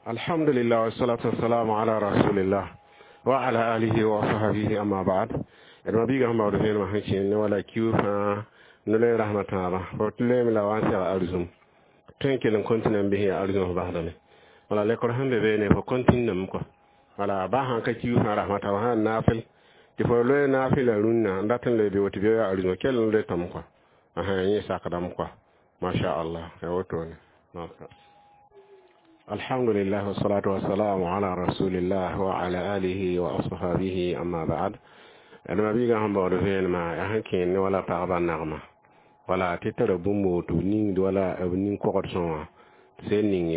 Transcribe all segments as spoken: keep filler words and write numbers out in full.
Alhamdulillah wassalatu wassalamu ala rasulillah wa ala alihi wa sahbihi, amma ba'd. D ma biiga sẽn baood vẽenemã sẽn kẽer ne wala kiu fãa no-loe rasmã tãabã fo tɩ loeeme la wa n seg arzũm tõe n kell n kõntɩna n bɩs yaa arzũm f basdame. Wala lekr sẽn be beene fo kõntɩndame kɔa. Wala baa sãn ka kiu fãa rasmã tãabã sã n naafɩl tɩ fo loe naafɩla rũnnã n dat n loe bɩ woto bɩ yaa arzũm kell n loe tõm kɔa, yẽ sakdame kɔa, masha Allah, ya wotone. Alhamdulillah wassalatu wassalamu ala rasulillah wa ala alihi wa ashabihi, amma ba'd. D ma biiga sẽn baood vẽenemã yaa sẽn kẽer ne wala pagba nagma, wala tɩ tara bũmb woto ningd wala b nin-kogd sõwã sẽn ning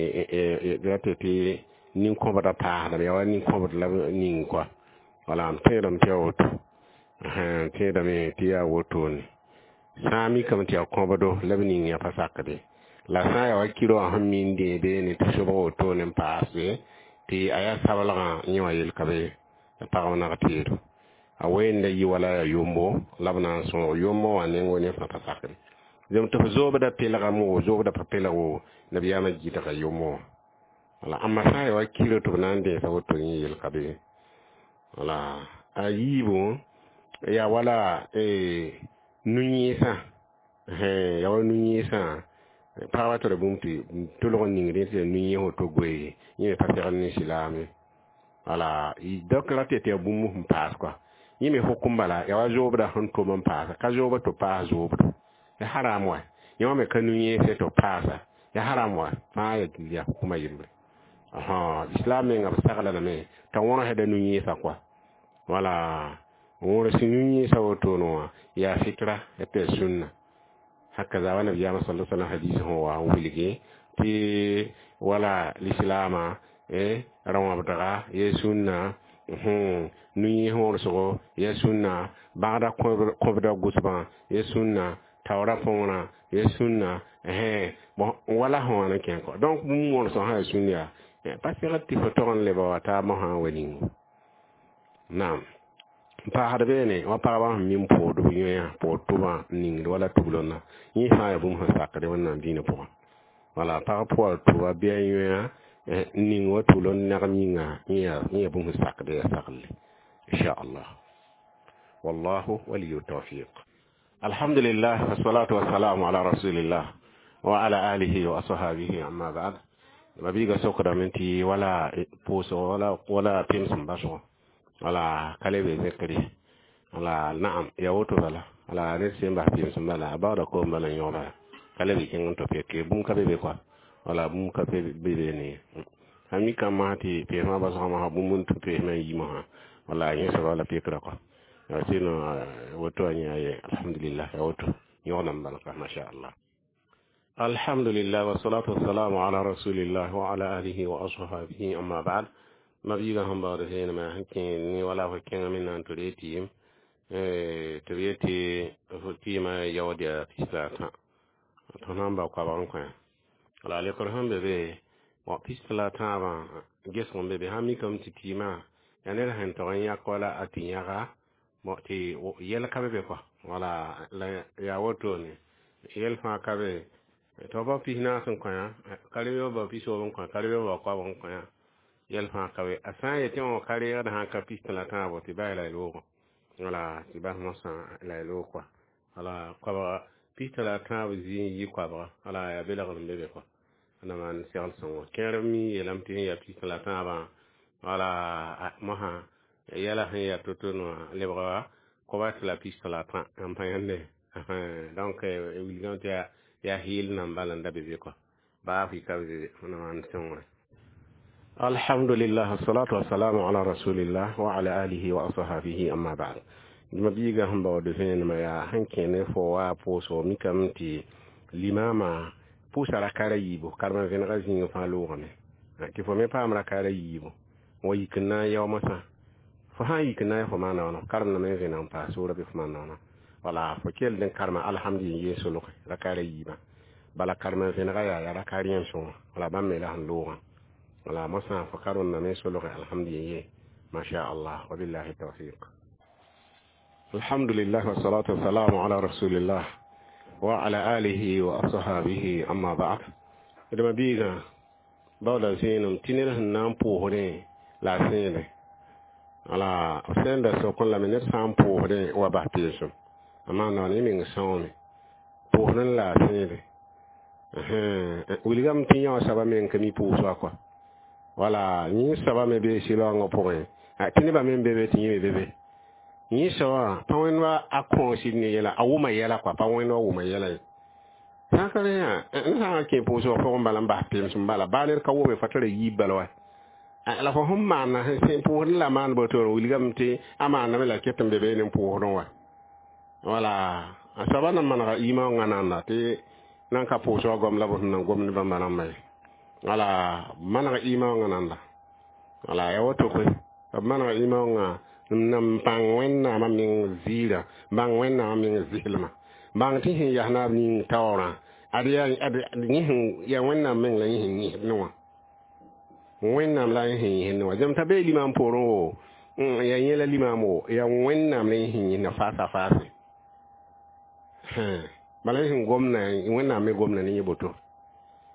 ra tɩ tɩ nin-kõbdã paasdame, yaa wa nin-kõbd la b ning kɔa. Wala m tẽedame tɩ yaa woto, n tẽedame tɩ yaa wotone. Sã n mikame tɩ yaa kõbdo la b ning yaa pa sakde, la sã n yaa wa kiro wã sẽn min dẽ beene tɩ sobg wotone n paase tɩ a yaa sablgã yẽ wã yel ka be pagb nag teedo a wẽnda yi wala yaa yombo la b na n sõog yombo wã nengo ne fãa pa sakre zem tɩ f zoobda pelgame wo zoobda pa pelg wo nabiyaamã gɩdga yombo wã. Wala amma sã n yaa wa kiro tɩ b na n dẽesa woto yẽ yel ka be. Wala a yiibu yaa wala nu-yẽesã, yaa wa nu-yẽesã pagba tara bũmb tɩ tʋlg n ning rẽ tɩ yaa nu-yẽes woto goe yẽ me pa segl ne silaame. Wala dɔk ra tɩ yaa bũmb sẽn paas kɔa, yẽ me hukum bala yaa wa zoobda sẽn tom n paasa ka zoobd tɩ paas zoobdo ya haram wa, yẽ wã me ka nu-yẽese tɩ paasa ya haram wa, fãa ya hukuma yembre. Islam menga b saglaname t'a wõrsda nu-yẽesã kɔa. Wala wõrs nu-yẽesã wotone wã yaa fitra ya tɩ yaa sũnna hakaza wa nabiyaamã sala sallam hadis sẽn wa n wilgi tɩ wala lislaamã rãwãbdga ya sũnna, nu-yẽes wõrsgo ya sũnna, bãgda kõbda gʋsbã ya sũnna, taoorã põorã ya sũnna, wala sẽn wa n kẽ kɔ. Donc bũmb wõrsg sã yaa sũnn yaa pa segd tɩ fo tog n leba wa taabã sã n wa ningo. Naam, n paasd beene wa pagba sẽn min pood b yõe pood tʋbã n ningd wala tuglonna, yẽ fãa yaa bũmb sẽn sakde Wẽnnaam dĩinã pʋgã. Wala pag pʋa tʋba bɩ a yõa n ning wa tuglon nagem yĩnga, yẽ yaa bũmb sẽn sakde ya saglle, inchallah. Wallahu waliyu tawfiq. Alhamdulillah wassalatu wassalamu ala rasulillah wa ala alihi wa ashabihi, amma ba'd. Mabiiga sokdame tɩ wala pʋʋsg wala wala pẽms n basgo wala ka le be zẽkre. Wala naam, ya woto bala. Wala ned sẽn bas pẽms n bala a baooda koom bala n yõgda ka le be kẽng n tɩ peke bũmb ka be be kɔa. Wala bũmb ka be be ne sã mikame masã tɩ peesmã basgã masã bũmb n tũ peesmã n yi masã wala yẽ soaba la pekra kɔa. Sino woto a yẽ aye, alhamdulillah, ya woto yõgdame bala ka, masha Allah. Alhamdulillah wassalatu wassalamu ala rasulillah wa ala alihi wa ashabihi, amma ba'd. Mabiiga sẽn baood vẽenemã sẽn kẽer ne wala fo kẽngame na n tɩ ree tɩɩm tɩ b yetɩ fo tɩɩmã yaood yaa pis la a tã tõnd sãn bao koabg n kõ wala lekr sẽn be be pis la a tãabã gesg n be be sãn mikame tɩ tɩɩmã yaa ned sẽn tog n yãk wala a tɩ yãga tɩ yɛl ka be be kɔa. Wala la yaa wotone yɛl fãa ka be tɩ f bao pis naas n kõ ka-reoog bao pisoog n kõ ka-reoog bao koabg n kõ yɛl fãa ka be. A sã n yetɩ wã ka reegd sã n ka pis la tãabo tɩ bas la y loogã, wala tɩ bas mosã la y loog kɔa. Wala koabga pis la tãab zĩ n yi koabga, wala yaa belgr n be be kɔa na maan segl sõngo kẽer mi yeelame tɩ sẽn yaa pis la tãabã. Wala mosã yɛla sẽn yaa to-to wã lebga koaba tɩ la pis la tã n pa yãnde. Donc wilgame tɩ yaa heel nan bala n da be be kɔa baa fɩ ka be be na maan sõngre. Alhamdulillah wassalatu wassalamu ala rasulillah wa ala alihi wa ashabihi, amma ba'd. Ma biiga sẽn baood vẽenemã yaa sẽn kẽ ne fo wa pʋʋsgo mikame tɩ limama pʋʋsa rakaara yiibu karema vẽnega zĩig fãa loogame tɩ fo me paam rakaara yiibu wa yik n na n yao mosã fo sã n yik n na n fo maana wãna karemdame n vẽneg n paas soora bɩ fo maana wãna. Wala fo kell n karema alhamdu n yee solge rakaara yiibã bala karema vẽnega yaa yaa rakaar yẽm sõnga. Wala bãmb me la sẽn loogã wala mosã fo karemdame solge alhamdu ye, masha Allah, wabillahi tawfiq. Alhamdulillah wassalatu wassalamu ala rasulillah wa ala alihi wa ashabihi, amma ba'd. D ma biiga Baooda vẽenem tɩ ned sẽn na n pʋʋsdẽ la a sẽede wala f sẽn da sokẽ lame ned sã n pʋʋsdẽ wa bas peesem a maanda wãna yẽ meng sãoome pʋʋsdẽ la a sẽede wilgame tɩ yã wã soaba meng ka mi pʋʋs wa kɔa wala yẽ soaba me bee sɩlaoongã pʋgẽ tɩ nebã me be be tɩ yẽ me be be yẽ soabã pa wẽnd wa a kõosd ne yɛla a wʋma yɛla kɔa pa wẽnd wa wʋma yɛla ye sã n ka rẽ yã ned sã n kẽ pʋʋsgã pʋgẽ bala n bas pemsem bala baa ned ka wʋme fa tara yiib bala wa la fo sẽn maana sẽn pʋʋsdẽ la maan botoor wilgame tɩ a maandame la ket n be beene n pʋʋsdẽ wa wala a soaba na manega yimã nanda tɩ nan ka pʋʋsgã goam la b sẽn na gom ne bãmba rãmba ye wala maneg yimã nanda wala ya woto koe b manega yimã n n bãng wẽnnaamã meng ziirã bãng wẽnnaamã meng zɩslmã bãng tɩ sẽn yas naab ning taoorã ad yaa ad yẽ sẽn yaa wẽnnaam meng la yẽ sẽn yẽsd ne wã wẽnnaam la yẽ sẽn yẽsd ne wã zem t'a bee limaam poorẽ wo yaa yẽ la limaam wo yaa wẽnnaam la yẽ sẽn yẽsdna faasa faase bala yẽ sẽn gomna wẽnnaam me gomna ne yẽ boto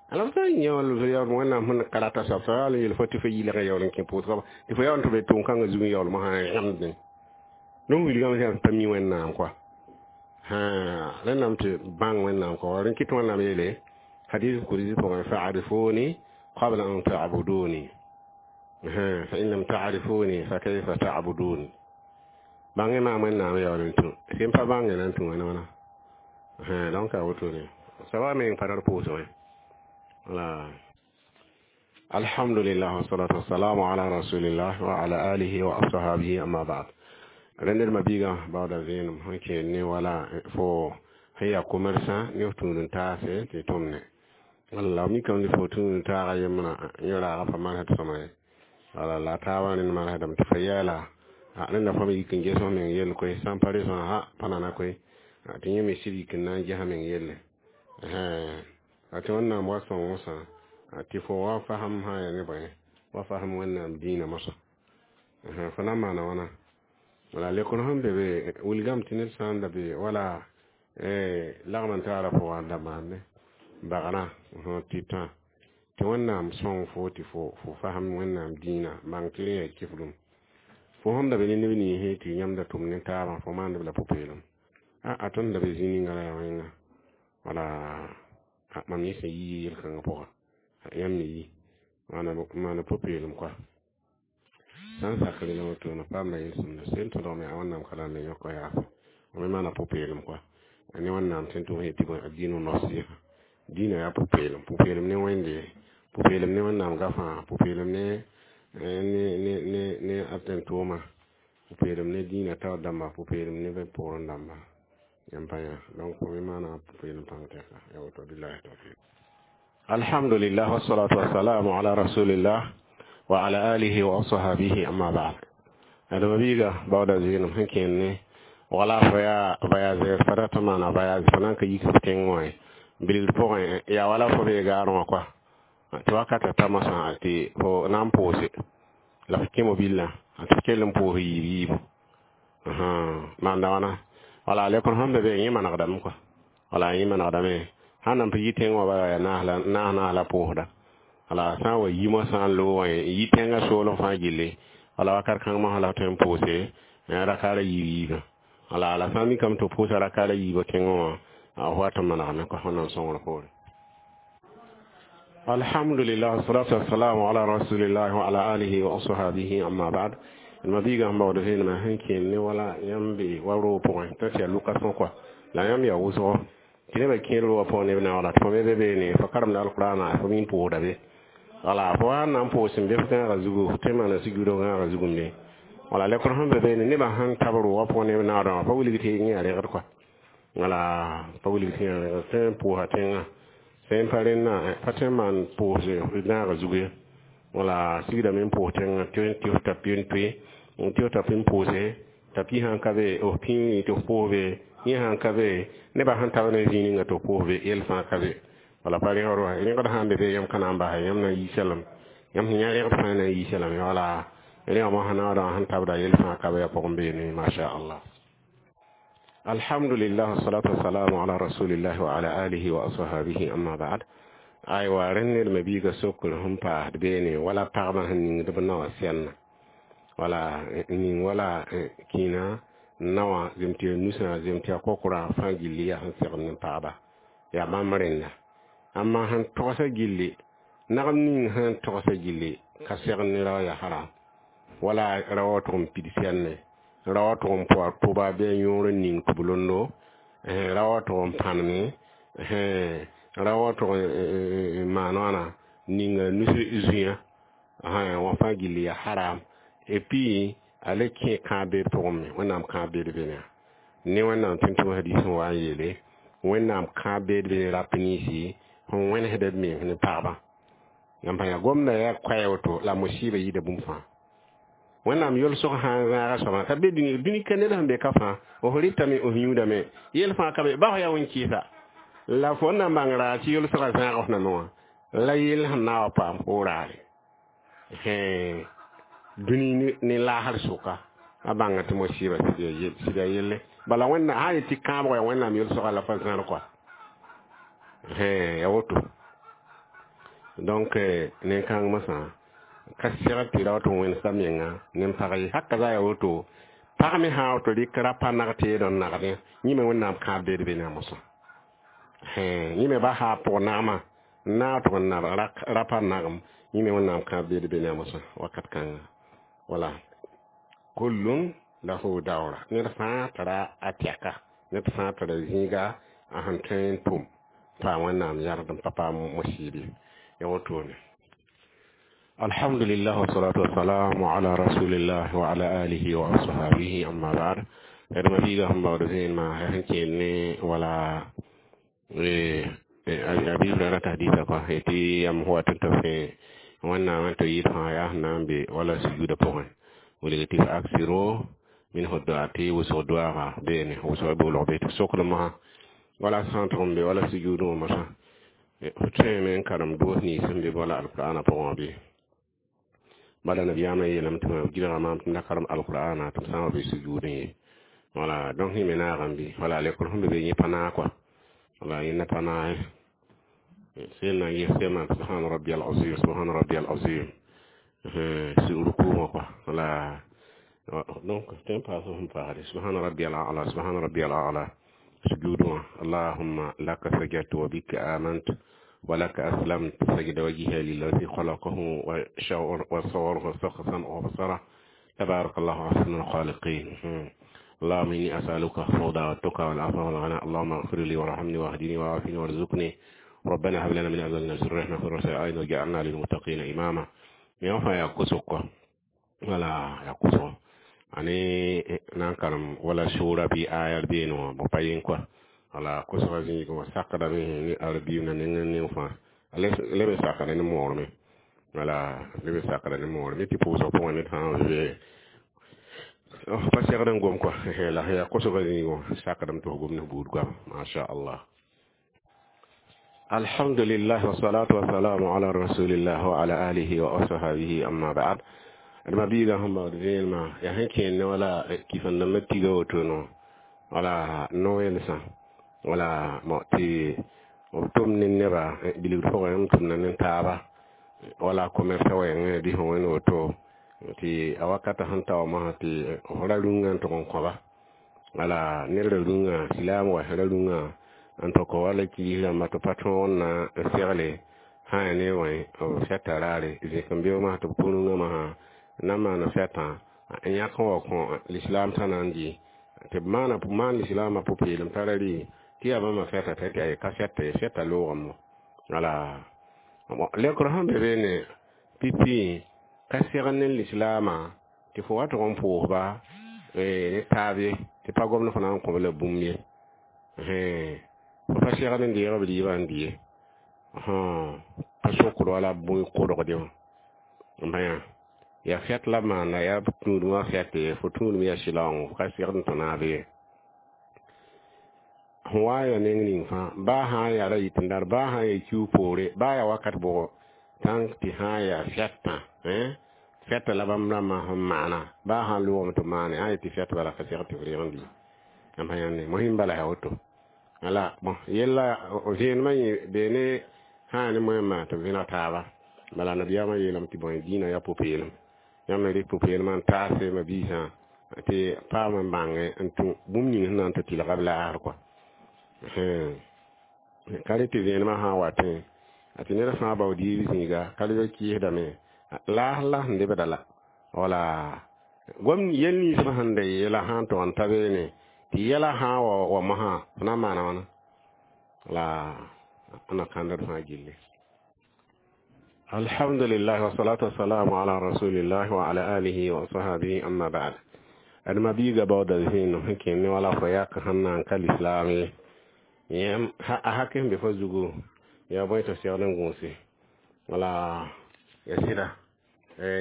ala f sã n yã wẽnnaam sẽn karata soab soab yaa yel fo tɩ fo yɩlg yaool n kẽ pʋʋsgã tɩ fo yaool tɩ be tʋʋm-kãngã zug n yaool mosã rãmdẽ donc wilgame sã pa mi wẽnnaam kɔa rẽndame tɩ bãng wẽnnaam kɔa rẽn kɩt wẽnnaam yeele hadis kursi pʋgẽ fa'arifuni qabla an ta'buduni fa in lam ta'rifuni fa kayfa ta'buduni bãngẽ maam wẽnnaam yaool n tũ sẽn pa bãnge na n tũ wãna wãna donc a wotone soaba meng pa tar pʋʋsgẽ wala alhamdulillah wassalatu wassalamu ala rasulillah wa ala alihi wa ashabihi amma ba'd rẽnd ma biigã baooda vẽenem sẽn kẽed ne wala fo sẽn yaa commerçant ne f tũud n taase tɩ tʋmne wala mikame tɩ fo tũud n taaga yembrã yẽ raaga pa marsd sõma ye wala la a taabã rẽnd marsdame tɩ fa yɛɛla rẽnda fo me yik n ges f meng yell koe sã n pa resã ha pa nana koe tɩ yẽ me sɩd yik n na n ges a meng yelle a tɩ wẽnnaam wa sõng mosã tɩ fo wa fasem sã yaa ne bõe wa fasem wẽnnaam dĩinã mosã fo na n maana wãna wala lekr sẽn be be wilgame tɩ ned sã n da be wala lagm n taara pʋgã da maande bagrã tɩ tã tɩ wẽnnaam sõng fo tɩ fo fo fasem wẽnnaam dĩinã bãng tɩ rẽ yaa kiflum fo sẽn da be ne neb ninsẽ tɩ yãmb da tʋm ne taabã fo maand b la pʋ-peelem a tõnd da be zĩ ninga la yaa wẽnga wala mam yẽ sẽn yi yel-kãngã pʋga yãmb me yi maana pʋ-peelem koa sã n sak rẽna wotone paamda yel-sõmda sẽn tõdg me a wẽnnaam ka la n yõk yaasa me maana pʋ-peelem koa ne wẽnnaam sẽn tʋm yetɩ bõe a dĩn nasiha dĩinã yaa pʋ-peelem pʋ-peelem ne wẽnde pʋ-peelem ne wẽnnaam gafã pʋ-peelem ne ne ne ne ne a tẽn-tʋʋma pʋ-peelem ne dĩinã taoor dãmba pʋ-peelem ne poorẽ dãmba yãmb pa yã donc fo me maana pʋ-peelem pãng tɛka ya woto billahi tawfiq alhamdulillah wassalatu wassalamu ala rasulillah wa ala alihi wa ashabihi amma ba'd adama biiga baooda zɩɩnem sẽn kẽend ne wala fo yaa voyageur fa rat n maana voyage fo na n ka yik f tẽng wã ye bilgr pʋgẽ yaa wala fo bee gaarẽ wã koa tɩ wakata ta mosã tɩ fo na n pʋʋse la fo kẽ mobillã tɩ f kell n pʋʋs yiib yiibu maanda wãna wala lekr sẽn be be yẽ manegdame koa wala yẽ manegdame sãn nan pa yi tẽng wã bala yaa naas naas la pʋʋsda wala sã n wa yi mosã n loog wã yi tẽngã soolem fãa gilli wala wakat kãng mosã la f tõe n pʋʋse rakaara yiib yiibã wala la sã n mikame tɩ f pʋʋsa rakaara yiibã tẽngã wã f wat n manegame koa wẽnnaam sõngr poore alhamdulillah wassalatu wassalamu ala rasulillah wa ala alihi wa ashabihi amma ba'd ma biigã sẽn baood vẽenemã sẽn kẽend ne wala yãmb be wa roog pʋgẽ t'a tɩ yaa location kɔa la yãmb yaa wʋsgo tɩ nebã kẽer roogã pʋgẽ neb naooda tɩ fo me be beene fo karemda alqurana fo min pʋʋsda be wala fo wa na n pʋʋs sẽn be f gãagã zugu f tõe n maana sigr gãagã zugumde wala lekr sẽn be beene nebã sẽn tab roogã pʋgẽ neb naoodã wã pa wilg tɩ yẽ yaa rẽgd kɔa wala pa wilg tɩ yã rẽgd tõe n pʋʋsa tẽngã sẽn pa rẽnna pa tõe n maan pʋʋs gãagã zug ye wala sigdame n pʋʋs tẽngã tɩ f ta pɩ n toe tɩ f ta pɩ n pʋʋse t'a pĩ sãn ka be f pĩig tɩ f pʋʋs be yẽ sãn ka be nebã sẽn tab ne zĩig ninga tɩ f pʋʋs be yell fãa ka be wala pa rẽgd wa rẽgd sãn be be yãmb ka na n basa yãmb na n yiisa lame yãmb sẽn yã rẽgd fãa na n yiisa lame wala rẽga mosã naoodã sẽn tabda yell fãa ka be yaa pʋgẽ beene masha allah alhamdulillah wassalatu wassalamu ala rasulillah wa ala alihi wa ashabihi amma ba'd Aywa, rẽnd ned me biiga sokr sẽn paasd beene wala pagba sẽn ningd b naowã sɛlnã wala ning wala kĩinã naowã zem tɩ ya nusã zem tɩ ya kokora fãa gilli yaa sẽn segd ne pagba yaa bãmb rẽnda amma sẽn togsã gilli nagm ning sẽn togsã gilli ka segd ne rao yaa haram wala rao tʋg n pid sɛlne rao tʋg n pʋa tʋba bɩ a yõor n ning tʋb-londo rao tʋg n pãneme rao tʋg n maan wãna ninga nus zũyã wã fãa gilli yaa haram et puis a le kẽ kãab-beed pʋgẽ me wẽnnaam kãab-beed bene ne wẽnnaam tʋm-tʋm hadis sẽn wa n yeele wẽnnaam kãab-beed bene rap ninsi sẽn wẽnesd b mens ne pagbã yãmb yaa gomda yaa koɛɛ woto la musiba yida bũmb fãa wẽnnaam yolsg sã n zãaga soabã ka be dũni dũni ka ned sẽn be ka fãa f rɩtame f yũudame yel fãa ka be ba f yaa wẽn-kɩɩsa la fo na bãng raar tɩ yolsgã zãag f name wã la yell sẽn na wa paam fo raare dũni ne laasr sʋka a bãnga tɩ musiba sɩd yaa yelle bala wẽnna sã n yet tɩ kãabg yaa wẽnnaam yolsga la fa zãr kɔa ya woto donc nen-kãng mosã ka segd tɩ ra tɩ wẽnsa menga nin-pag ye haka za ya woto pag me sã woto rɩk rapa nag teed n nagdẽ yẽ me wẽnnaam kãab beed be ne a mosã yẽ me ba sã pʋg nagmã n naag tʋg n nab rapa nagem yẽ me wẽnnaam kãab beed be ne a mosã wakat kãnga wala kullun lahu dawra ned fãa tara a tɛka ned fãa tara zĩiga a sẽn tõe n tʋm paam wẽnnaam yard n pa paam musiibe ya wotone alhamdulillah wassalatu wassalamu ala rasulillah wa ala alihi wa ashabihi amma ba'd d ma biiga sẽn baood vẽenemã sẽn kẽel ne wala abi hurairata hadisa kɔ tɩ yam wat n tɩ fẽ wẽnnaam n tɩ yɩɩd fãa yaa sẽn na n be wala sujuuda pʋgẽ wilg tɩ fa aksiru minhu du'a tɩ wʋsg doaaga beene wʋsg boolg be tɩ sokd mosã wala sã n tʋg n be wala sujuudẽ wã mosã f tõeme n karem doos nins sẽn be wala alqur'ana pʋgẽ wã bɩ bala nabiyaamã yeelame tɩ gɩlga maam tɩ m da karem alqur'ana tɩ m sã n wa be sujuudẽ ye wala donc yẽ me naagame bɩ wala lekr sẽn be be yẽ pa naag kɔa wala yẽnda pa naag sel na n ges sẽma subhana rabbi al azim subhana rabbi al azim ruku wã kɔa wala donc tẽn paas sẽn paasde subhana rabbi al a'la subhana rabbi al a'la سجود اللهم لك سجدت وبك آمنت ولك أسلمت سجد وجهي للذي خلقه وصوره وسخ سمعه وبصره تبارك الله أحسن الخالقين اللهم إني أسألك الهدى والتقى والعفو والغنى اللهم اغفر لي وارحمني واهدني وعافني وارزقني ربنا هب لنا من أزواجنا وذريتنا قرة أعين واجعلنا للمتقين إماما يوم يا كسوك ولا يا كسوك ani nan karam wala sura bi ayar bi no bo payin quoi wala kosga zĩig wã sakdame ne arbiim na neng neng fãa leb n sakda ne moorme wala leb n sakda ne moorme tɩ pʋʋsg pʋgẽ ned fãa be pa segd n gom kɔa la yaa kosga zĩig wã sakdame tɩ f gom ne buud goama masha allah alhamdulillah wassalatu wassalamu ala rasulillah wa ala alihi wa ashabihi amma ba'd d ma biiga sẽn baood vẽenemã yaa sẽn kẽer ne wala kifãn-dãmbã tiga woto no wala no-welsã wala tɩ b tʋm ne neba bilgd pʋgẽ m tʋmda ne taaba wala commerce wɛɛngẽ bɩ sẽn wẽnd woto tɩ a wakata sẽn ta wa mosã tɩ f ra rũngã n tʋg n kõba wala ned ra rũngã silaam wa ra rũngã n tʋk wala kiis rãmba tɩ pa tõog n na n segle sã yaa ne wẽ b fɛta raare zẽk n beoog masã tɩ b kõ rũngã masã na n maana fɛtã n yãk n wa kõ lislaam tã na n dɩ tɩ b maana maan lislaamã pʋ-peelem tara rɩ tɩ yaa bãmba fɛta t'a tɩ ka fɛta ye fɛta loogame wala lekr sẽn be beene pipi ka segd ne lislaamã tɩ fo wa tʋg n pʋʋsba ne taab ye tɩ pa gomd fo na n kõb la bũmb ye fo pa segd n deeg b rɩɩbã n dɩ ye pa sokd wala bõe kodgde wã n bã yã yaa fɛt la maanda yaa tũudum wã fɛt ye fo tũudum yaa sɩlaoongo ka segd n tõ naab ye sẽn wa n ya neng ning fãa baa sã n yaa ra yit n dar baa sã n yaa kiu poore baa yaa wakat bʋgo tãng tɩ sã n yaa fɛtã fɛta la bãmb rãmbã sẽn maana baa sã n loogame tɩ maane sã n yet tɩ fɛt bala ka segd tɩ f reeg n dɩ yãmb sã yãnde mosɩm bala yaa woto wala bon yella vẽenemã yẽ beene Sã ne moẽmã tɩ b vẽneg taaba bala nabiyaamã yeelame tɩ bõe dĩinã yaa pʋ-peelem yãmb me rɩk pʋ-peelmã n taase ma-biisã tɩ paam n bãnge n tũ bũmb ning sẽn na n tɩ tɩlga b laasr kɔa ka rɩ tɩ vẽenemã sã n watẽ a tɩ ned fãa bao diib zĩiga ka lebg kɩɩsdame laasr la sẽn lebda la wala gom yel nins b sẽn da yeela sã n tog n ta beene tɩ yɛla sã n wa wa mosã f na n maana wãna la na kãndd fãa gilli. Alhamdulillah wasalatu wassalamu ala rasulillah wa ala alihi wa ashabihi, amma ba'd. Adma biiga baooda vẽenem sẽn kẽnd ne wala fo yak sẽn na n ka lislaam ye yẽm a hak sẽn be fo zugu yaa bõe tɩ segd n gũuse wala ya sɩda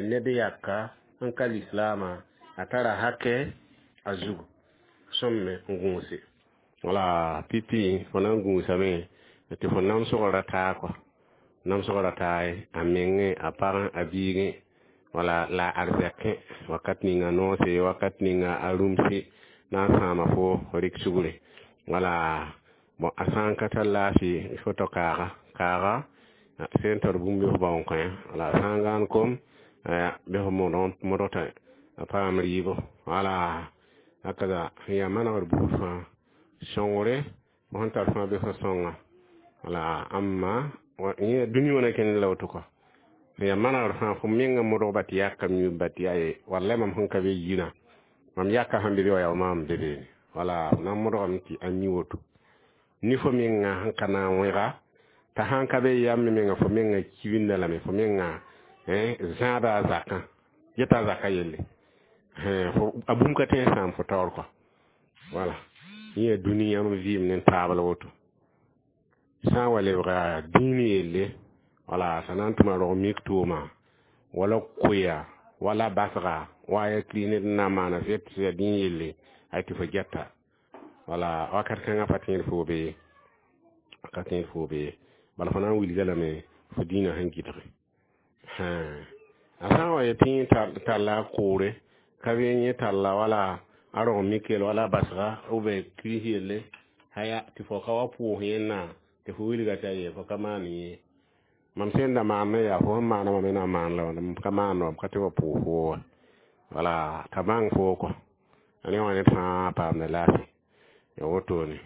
ned yaka n ka lislaamã a tara hakɛ a zugu sõmme n gũuse wala pipi fo na n gũusame tɩ fo namsg ra taa kɔa namsg ra taa ye a mengẽ a pagẽ a biigẽ wala la a arzɛkẽ wakat ninga noose wakat ninga a rũmse na n sãama fo rɩk sugre wala bon a sã n ka tar laafɩ fo tao kaaga kaaga sẽn tar bũmb bɩ fo bao n kõ wala a sã n gãan kom bɩ fo modg t'a a paam rɩɩbo wala hakaza sẽn yaa manegr buud fãa sõngre fo sẽn tar fãa bɩ fo sõnga wala amma yẽ dũni wã na kẽnd la woto kɔ sẽn yaa manegr fãa fo menga modgba tɩ yakam yũbba tɩ yaa ye wallay mam sẽn ka be yirã mam yaka sẽn be be wa yaa maam be beene wala f na n modgame tɩ a mi woto ni fo menga sẽn ka na n wẽga t'a sãn ka be yam menga fo menga kibinda lame fo menga zãada a zakã yeta a zaka yelle a bũmb ka tõe n sãam fo taoor kɔ wala yẽ yaa dũni yãmb vɩɩm ne taab la woto sã n wa lebga dĩin yelle wala t'a na n tʋma rog mik tʋʋma wala koya wala basga wa ya kri ned n na n maana fɩ tɩ yaa dĩin yelle ay tɩ fo gɛta wala wakat kãngã pa tẽed foo be ka tẽed foo be bala fo na n wilga lame fo dĩinã sẽn gɩdge a sã n wa yetɩ yẽ talla a koore ka be yẽ talla wala a rog mikel wala basga ou bien kirist yelle haya tɩ fo ka wa pʋʋs yẽnna tɩ fo wilga t'a ye fo ka maan yẽ mam sẽn da maan me yaa fo sẽn maana mam me na n maan la m ka maan wam ka tɩ wa pʋʋs fo wa wala t'a bãng foo kɔ a ne wã ned fãa paamda laafɩ ya wotone.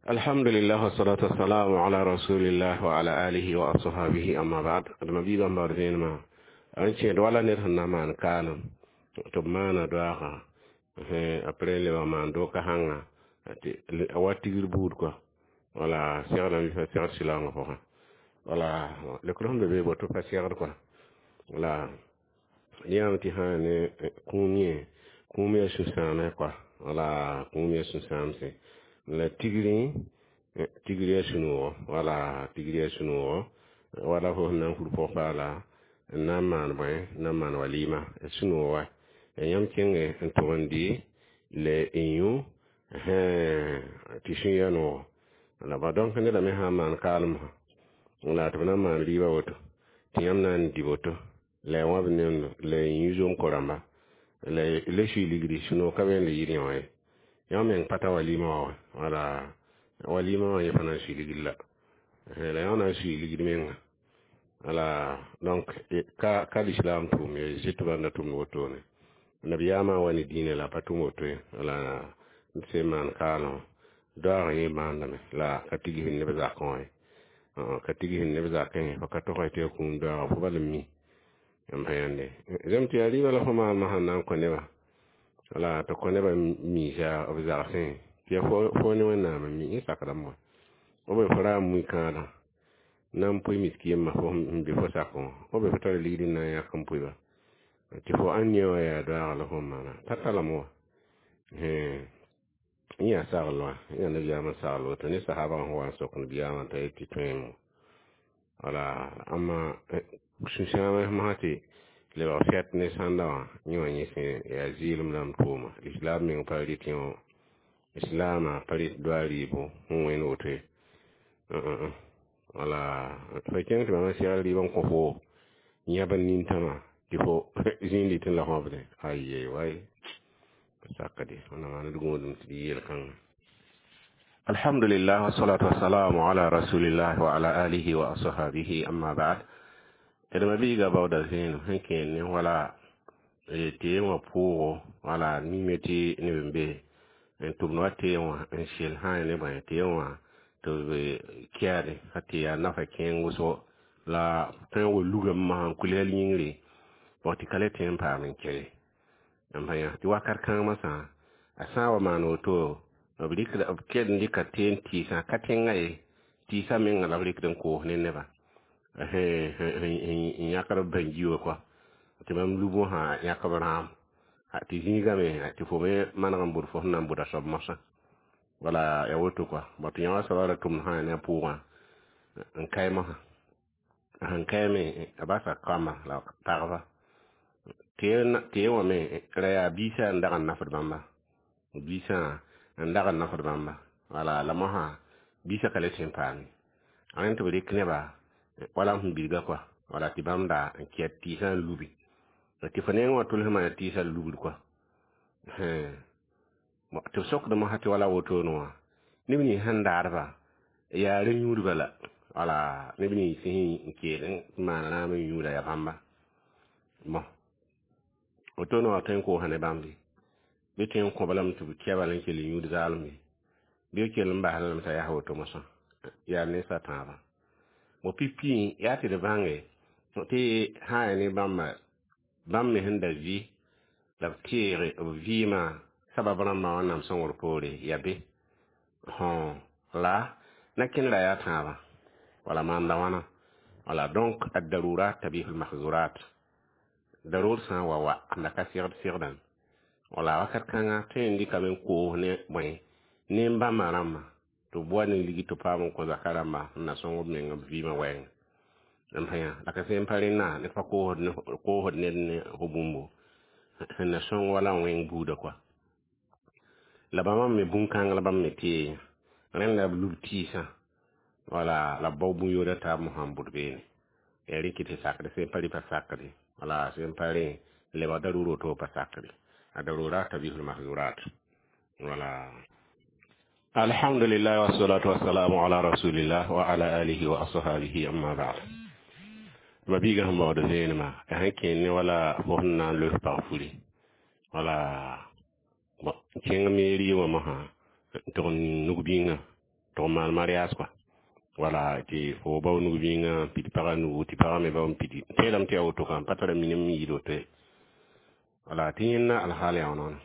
Alhamdulillah wassalatu wassalamu ala rasulillah wa ala alihi wa ashabihi, amma ba'd. Adma biigã n baood vẽenemã n kẽed wala ned sẽn na maan kaalem tɩ b maana doaaga après lebg maan doka sãnga tɩ a wa tigr buud kɔa wala segdame fa segd sɩlaoongã pʋgẽ wala lekr sẽn be be boto pa segd kɔa wala yãame tɩ sã ne kũum yẽ kũum yaa sũ-sãamẽ kɔa wala kũum yaa sũ-sãamse la tigri tigri yaa sũ-noogo wala tigri yaa sũ-noogo wala fo sẽn na n fur pʋg-paala n na n maan bõe n na n maan walima sũ-noog wa ya yãmb kẽnge n tʋg n dɩ la n yũ tɩ sũ ya noogo la ba donc neda me sã n maan kaalem la tɩ b na n maan rɩɩbã woto tɩ yãmb na n dɩ woto la ya wãb nemdo la y yũ zom-ko rãmba la la sui ligdi sũ-noog ka be n le yɩr yã wã ye yãmb meng pa ta walima wã wa wala walima wã yẽ pa na n sui ligd la la yã na n sui ligd menga wala donc ka ka l'islam tʋʋm ye zɩt bãnda tʋmd wotone nabiyaamã wa ne dĩinã la a pa tʋm woto ye wala n sẽn maan kaalem doaag yẽ maandame la ka tigsd neb zakẽ wã ye ka tigsd neb zakẽ fo ka tog tɩ ya kũum doaaga fo bal n mi m pa yãnde zem tɩ yaa rɩɩbã la fo maanmã sẽn na n kõ nebã wala tɩ kõ nebã miisa b zagsẽ tɩ ya fo ne Wẽnnaam n mi yẽ sakdame wa b fo ra n mui kãadã na n pʋɩ misk yembã fo n be fo sakẽ wã b fo tara ligd n na n yãk n pʋɩba tɩ fo ãn yã wã yaa doaaga la fo n maana pa talame wa yẽ yaa sagl wã yã nabiyaamã sagl woto ne sahaba sẽn wa n sok nabiyaamã t'a yet tɩ tõeemo wala amma sũ-sãamã masã tɩ lebg fɛt ne sãnda wã yẽ wã yẽ sẽn yaa zɩɩlem rãmb tʋʋma islam meng pa rɩt yẽ islaamã pa rɩt doa rɩɩbo sẽn wẽnd woto ye wala fo kẽng tɩ bãmb segl rɩɩb n kõ fo yãb n nintãmã tɩ fo zĩig dɩtẽ la fõbdẽ aye way sakde wẽnnaam maan d gũudum tɩ d yeel kãngã. Alhamdulillah wassalatu wassalamu ala rasulillah wa ala alihi wa ashabihi amma ba'd. D mabiiga baooda vẽenem sẽn kẽer ne wala teem wã pʋʋgo, wala mime tɩ neb n be n tʋmd wa teem wã n sel sã ne bõe teem wã tɩ b kɛɛde ka tɩ yaa nafa kẽeng wʋsgo la tõe n wa lugame mosã n kuls yĩngre bõ tɩ ka le tõe n paam n kɛ n pa yã tɩ wakat kãng masã a sã n wa maan woto b rɩkda b kell n dɩka teen tɩɩsã ka tẽngã ye tɩɩsã menga la b rɩkd n koos ne neba n yãkd b bãngi wã kɔa tɩ bãmb lub wã yãk b rãam tɩ zĩigame tɩ fo me maneg n bʋd fo sẽn na n bʋda soab mosã wala ya woto kɔa bõ tɩ yã wa soabã ra tʋmd sã ne a pʋʋgã n kae mosã sẽn kae me a basa kambã la pagba tee wã me ra yaa biisã n dag n nafd bãmba biisã n dag n nafd bãmba wala la mosã biisã ka le tõe n paame rẽnd tɩ b rɩk neba wala sẽn bilga kɔa wala tɩ bãmb da n kɛt tɩɩsã n lubi tɩ fo neng wã tʋls maan tɩɩsã lubd kɔa tɩ b sokd mosã tɩ wala wotone wã neb nins sẽn daadba yaa rẽ-yũudba la wala neb nins sẽn keel n maan rãam n yũuda yaa bãmba bõ wotone wã tõe n koosã ne bãmb bɩ tõe n kõba lame tɩ b kɛba n kell n yũud zaalem ye bɩ b kell n bas lame t'a yaa woto mosã yaa ninsa tãabã bõ pipi yaa tɩ d bãnge tɩ sã n yaa ne bãmba bãmb me sẽn da vɩ la b teege b vɩɩmã sabab rãmbã wẽnnaam sõngr poore yaa be la na kẽnera yaa tãabã wala maanda wãna wala. Donc ad-darurat tabihu al-mahzurat darur sã n wa wa la ka segd segdã wala wakat kãnga tõe n dɩkame n koos ne bõe ne n bãmba rãmbã tɩ b wa ne ligi tɩ paam n kõ zaka rãmba n na sõng b meng b vɩɩmã wɛɛng n pa yã la ka sẽn pa rẽnna ned pa koosd ned ne fo bũmbo sẽn na sõng wala n wẽng buudã kɔa la bãmba me bũn-kãng la bãmb me tee rẽnd la b lub tɩɩsã wala la b bao bũn-yoodã taab mosã n bʋd beene ya rɩk tɩ sakd sẽn pa rɩ pa sakde wala sẽn pa rẽ lebg darur woto pa sakde a darurat tabihul mahzurat wala. Alhamdulillah wassalatu wassalamu ala rasulillah wa ala alihi wa ashabihi amma ba'd. Mabiiga sẽn baood vẽenemã a sẽn kẽer ne wala fo sẽn na n loes pag furi wala kẽng mairie wã mosã tɩg n nug-bĩngã tɩg n maan mariage kɔa wala tɩ fo bao nug-bĩngã n pid pagã nugu tɩ pagã me bao n pidi teelame tɩ yaa woto ka n pa tara minim n yɩɩd woto ye wala tɩ yẽnda alhaal yaa wãna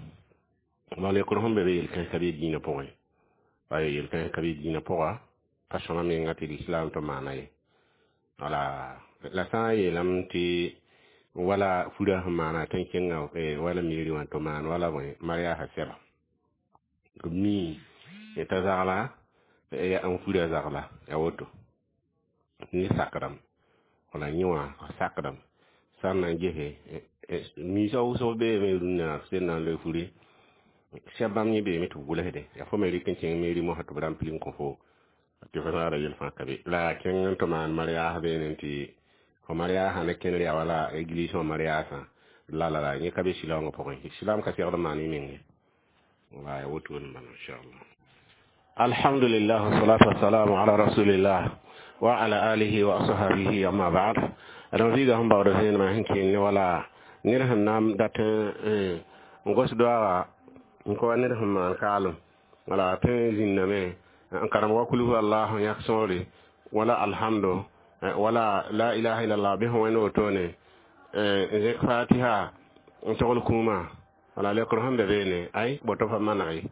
wãna lekr sẽn be be yel-kãens ka be dĩinã pʋgẽ ay yel-kãens ka be dĩinã pʋga pa sõma menga tɩ lislam tɩ maana ye wala la sã n yeelame tɩ wala furã sẽn maana tɩ n kẽnga wala mairie wã tɩ maan wala bõe mariage sɛba b mi t'a zagla n furã zagla ya woto ne sakdame wala yẽ wã sakdame sã n na n gese miisã wʋsg beeme rũnnã sẽn na n loe furi sɛb bãmb yẽ beeme tɩ b gʋlsde yaa fo me rɩk n kẽng mairie mosã tɩ b rãmpli n kõ fo tɩ fo saara yel fãa ka be la kẽng n tɩ maan mariage beene tɩ fo mariage ne kẽner yaa wala église wã mariage la la la yẽ ka be silaoongã pʋgẽ silaam ka segd n maan y menge wala ya woto n bala inchallah. Alhamdulillah wassalatu wassalamu ala rasulillah wa ala alihi wa ashabihi amma ba'd. Adama biiga sẽn baood vẽenemã sẽn kẽer ne wala ned sẽn na n dat n gos doaaga n ka wa ned sẽn maan kaalem wala tõe n zĩnname n karem wa kulhu allah n yãk sõore wala alhamdo wala la ilaha illallah bɩ sẽn wẽnd wotone n zẽk fatiha n togl kũumã wala lekr sẽn be beene ay boto pa maneg ye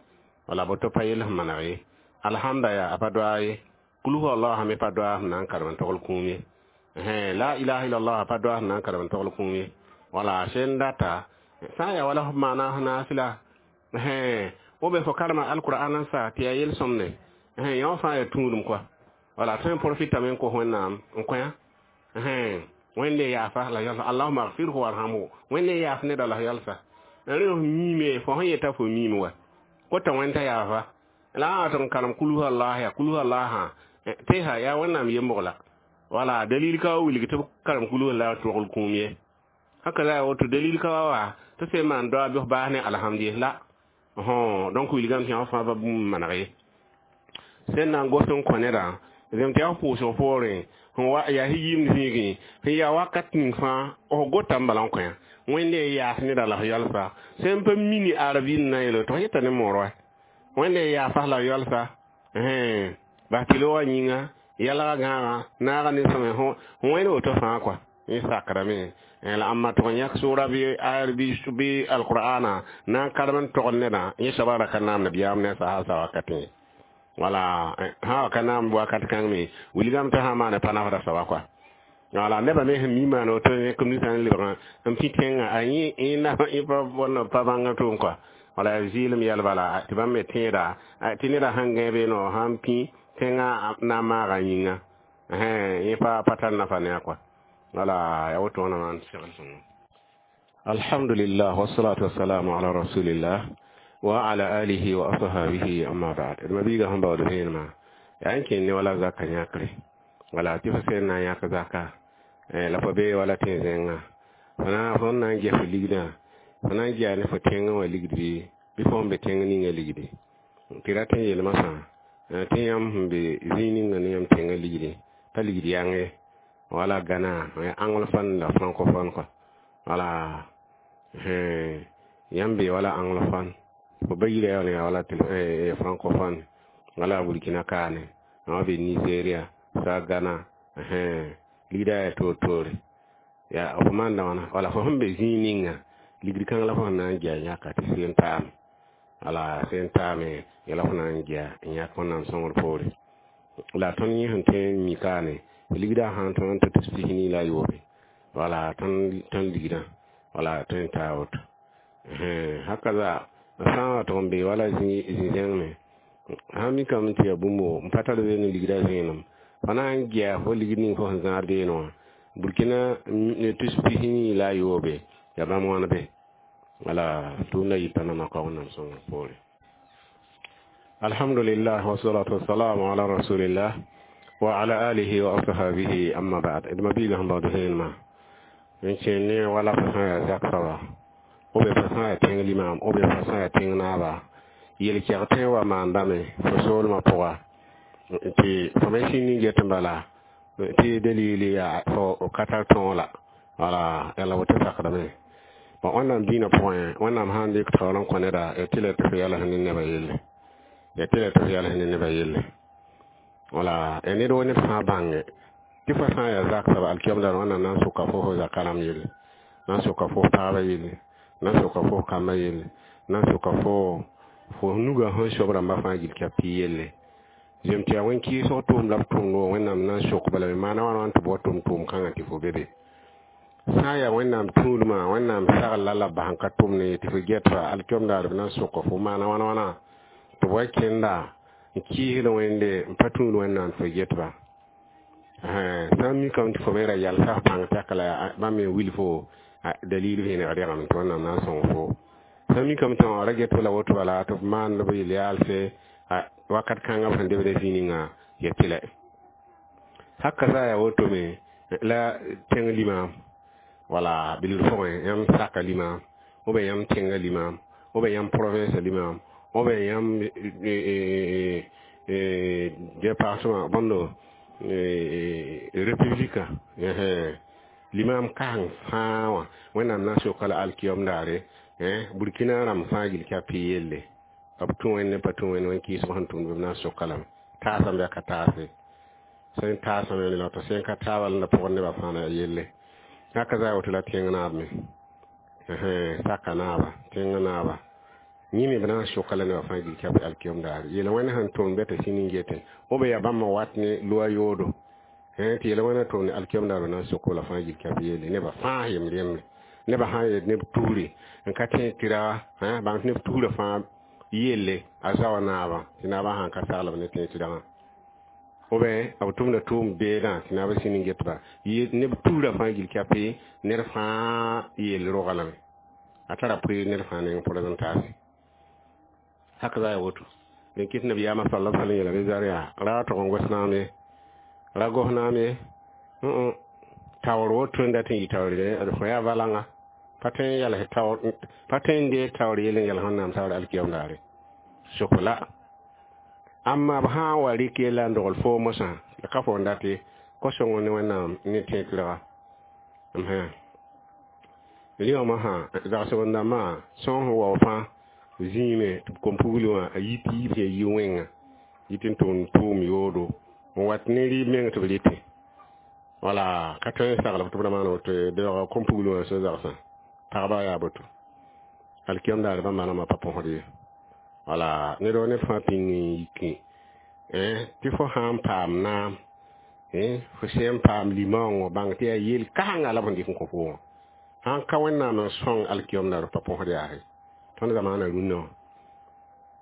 wala boto pa yel sẽn maneg ye alhamda yaa a pa doa ye kulhu allah me pa doa sẽn na n karem n togl kũum ye la ilaha illallah pa doa sẽn na n karem n togl kũum ye wala sẽn data sã n yaa wala f maana f naasla wo be fo karema alqur'an n sa tɩ yaa yel-sõmde yã wã fãa yaa tũudum kɔa wala tõe n profitame n kos wẽnnaam n kõ-yã wẽnde yaafa la yalsa allahuma agfirhu warhamhu wẽnde yaaf neda la yalsa rẽ f miime fo sẽn yeta fo miime wa kota wẽn t'a yaafa la a tɩ n karem kulhu allah ya kulhu allah tɩ ha yaa wẽnnaam yembg la wala dalil ka wa wilg tɩ b karem kulhu allah togl kũum ye haka la woto dalil ka wa tɩ sẽn maan doa bɩ f baas ne alhamdi la donc wilgame tɩ yã fãa pa bũmb maneg ye. Sẽn na n gos n kõ nedã zem tɩ yaa f pʋʋsg poorẽ sẽn wa yaa yɩɩmd zĩigẽ sẽn yaa wakat ning fãa f gotame bala n kõ Wẽnde yaas neda la f yalsa sẽn pa mini arabɩ na yeele tɩ f yeta ne moor wa Wẽnde yaasa la yalsa bas tɩ loogã yĩnga yalga gãagã naaga ne sõme wẽnd woto fãa kɔa yẽ sakrame la ãmba tʋg n yãk sʋʋra bɩ ayar bɩ alqur'ana na n karem n togd nedã yẽ soabã ra ka naam nabiyaam ne sahasa wakatẽ wala sã wa ka naam wakat kãng me wilgame tɩ sã n maane pa nafda soaba kɔa wala nebã me sẽn mi maan woto yẽk ninsã n lebgã n pĩ tẽngã a yẽ pa bõnd pa bãng tʋʋm kɔa wala yaa zɩɩlem yɛl bala tɩ bãmb me tẽeda tɩ neda sãn gãe beeno sãn pĩ tẽngã na n maaga yĩnga yẽ pa pa tar nafa ne a kɔa wala ya woto wãna maan segl sõngo. Alhamdulillah, wassalatu wassalamu ala rasulillah wa ala alihi wa ashabihi, amma ba'd. D mabiiga sẽn baood vẽenemã yaa n kẽnd ne wala zaka yãkre wala tɩ fo sẽn na n yãk zaka la fo bee wala tẽ zẽnga fo na fõn na n ges fo ligdã fo na n gea ne fo tẽngã wã ligd bɩ bɩ fo n be tẽng ninga ligdi tɩ rat n yeel masã tɩ yãmb sẽn be zĩig ninga ne yãmb tẽngã ligdi pa ligd yãng ye wala Gana anglophone la francophone quoi wala yãmb be wala anglophone fo ba yira yaa wala francophone wala Burkina kaane wã be Nigeria sa Gana ligda yaa toor-toore yaa f maanda wãna wala fo sẽn be zĩig ninga ligd kãng la fo sẽn na n gea yãka tɩ seen taame wala sẽn taame yɛla fo na n gea n yãk Wẽnnaam sõngr poore la tõnd yẽ sẽn tõe n mi kaane ligdã sãn tõnd n tɩ tus pis-nii la a yoobe wala tõnd tõnd ligdã wala tõe n taa woto haka za sã n wa tʋg n be wala zĩ-zẽng me sãn mikame tɩ yaa bũmbo n pa tar be ne ligdã zẽenem fo na n gea fo ligd ning fo sẽn zãad beene wã Burkina tus pis-nii la a yoobe yaa bãmb wãn be wala tʋʋmda yita nana ka Wẽnnaam sõngr poore. Alhamdulillah, wassalatu wassalamu ala rasulillah wa ala alihi wa ashabihi, amma ba'd. D mabiiga sẽn baood vẽenemã n kẽen ne wala fo sã yaa zak soaba b fo sã yaa tẽng limam b fo sã yaa tẽng naaba yel-kɛg tõe n wa maandame fo soolmã pʋga tɩ fo me sĩnd n get n bala tɩ dalili yaa fo ka tar tõog la wala yala woto sakdame bon Wẽnnaam dĩinã pʋgẽ Wẽnnaam sã n dɩk taoor n kõ neda ya tɩ la tɩ fo yals ne nebã yelle ya tɩ la tɩ fo yals ne nebã yelle wala ya ned wo ned fãa bãnge tɩ fo sã n yaa zak soaba alkiyoom daar Wẽnnaam na n sʋka fo fo zaka rãmb yelle na n sʋka fo paabã yelle na n sʋka fo kambã yelle na n sʋka fo fo nuga sẽn sob rãmbã fãa gill kɛp tɩ yelle zem tɩ yaa wẽn-kɩɩsg tʋʋm la b tʋmd wã Wẽnnaam na n sok bala me maana wãna wãn tɩ b wa tʋm tʋʋm kãngã tɩ fo be be sã n yaa Wẽnnaam tũudmã Wẽnnaam sagl la la b bas n ka tʋmd ne tɩ fo get fa alkiyoom daar b na n sʋka fo maana wãna wãna tɩ b wa kẽnda n kɩɩsd Wẽnde n pa tũud Wẽnnaam tɩ fo get-ba sã n mikame tɩ fo me ra yalsa f bãng tɛka la bãmb me wil fo dalil vẽeneg rẽgem tɩ Wẽnnaam na n sõng fo sã n mikame tɩ ra get la woto bala tɩ b maand b yel-yaalse wakat kãngã b sẽn debd zĩ ninga ya tɩlɛ haka sã yaa woto me la tẽng limam wala bilg pʋgẽ yãmb saka limam ou bien yãmb tẽngã limam ou bien yãmb province limam ou bien yãmb département bõndo république limam kãng fãa wã Wẽnnaam na n soka la alkiyom daare Burkina rãmb fãa gill kɛp tɩ yelle b tũ Wẽnd pa tũ Wẽnd wẽn-kɩɩsg sẽn tʋmd b na n soka lame taasame yaa ka taase sẽn taasame la tɩ sẽn ka taaba la pʋgẽ nebã fãa na yelle haka za woto la tẽng naab me saka naaba tẽngã naaba yẽ me b na n soka la nebã fãa gill kɛp alkiyom daare yel wẽnd sẽn tʋm bɛ tɩ sĩnd n getẽ b yaa bãmb wat ne loa yoodo tɩ yel wẽnda tʋm ne alkiyom daar b na n sok la fãa gill kɛp yelle nebã fãa yem remre nebã sã n yet neb tuure n ka tẽ tɩra bãng tɩ neb tuurã fãa yelle a zaoa naabã tɩ naabã sãn ka saglb ne tẽ tɩragã ou bien b tʋmda tʋʋm beedã tɩ naabã sĩnd n getba neb tuurã fãa gill kɛpɩ ned fãa yell roga lame a tara pʋɩ ned fãa neng présentation haka za ya woto den kɩt nabiyaamã sala sallam yeela be zar yaa ra tʋg n gos naam ye ra gos naam ye taoor woto n dat n yɩ taoor d fo yaa valanga pa tõe n yals taoor pa tõe n deeg taoor yell n yals Wẽnnaam saoor alkiyam daare sokla Amma b sã n wa rɩk yella n dogl fo mosã la ka fo n date ko-sõng ne Wẽnnaam ne tẽeg-tɩrga rɩ wã mosã zagsg n dãmbã sõng sẽn wao fãa zĩime tɩ b kom-pugl wã a yit yiib sẽn yi wẽnga yit n tʋm tʋʋm yoodo n wat ne rɩɩb meng tɩ b rɩtẽ wala ka tõe n sagl tɩ b ra maan woto ye beoogã kom-pugl wã sẽn zagsã pagba yaa boto alkiyam daar bãmba rãmbã pa põsd ye wala ned wa ned fãa pĩng n yikẽ tɩ fo sã n paam naam fo sẽn paam limaoongõ bãng tɩ yaa yel kãsenga la b sẽn dɩk n kõ fo wã sãn ka Wẽnnaam n sõng alkiyom daar pa põsd yaase tõnd zamaana rũnnã wã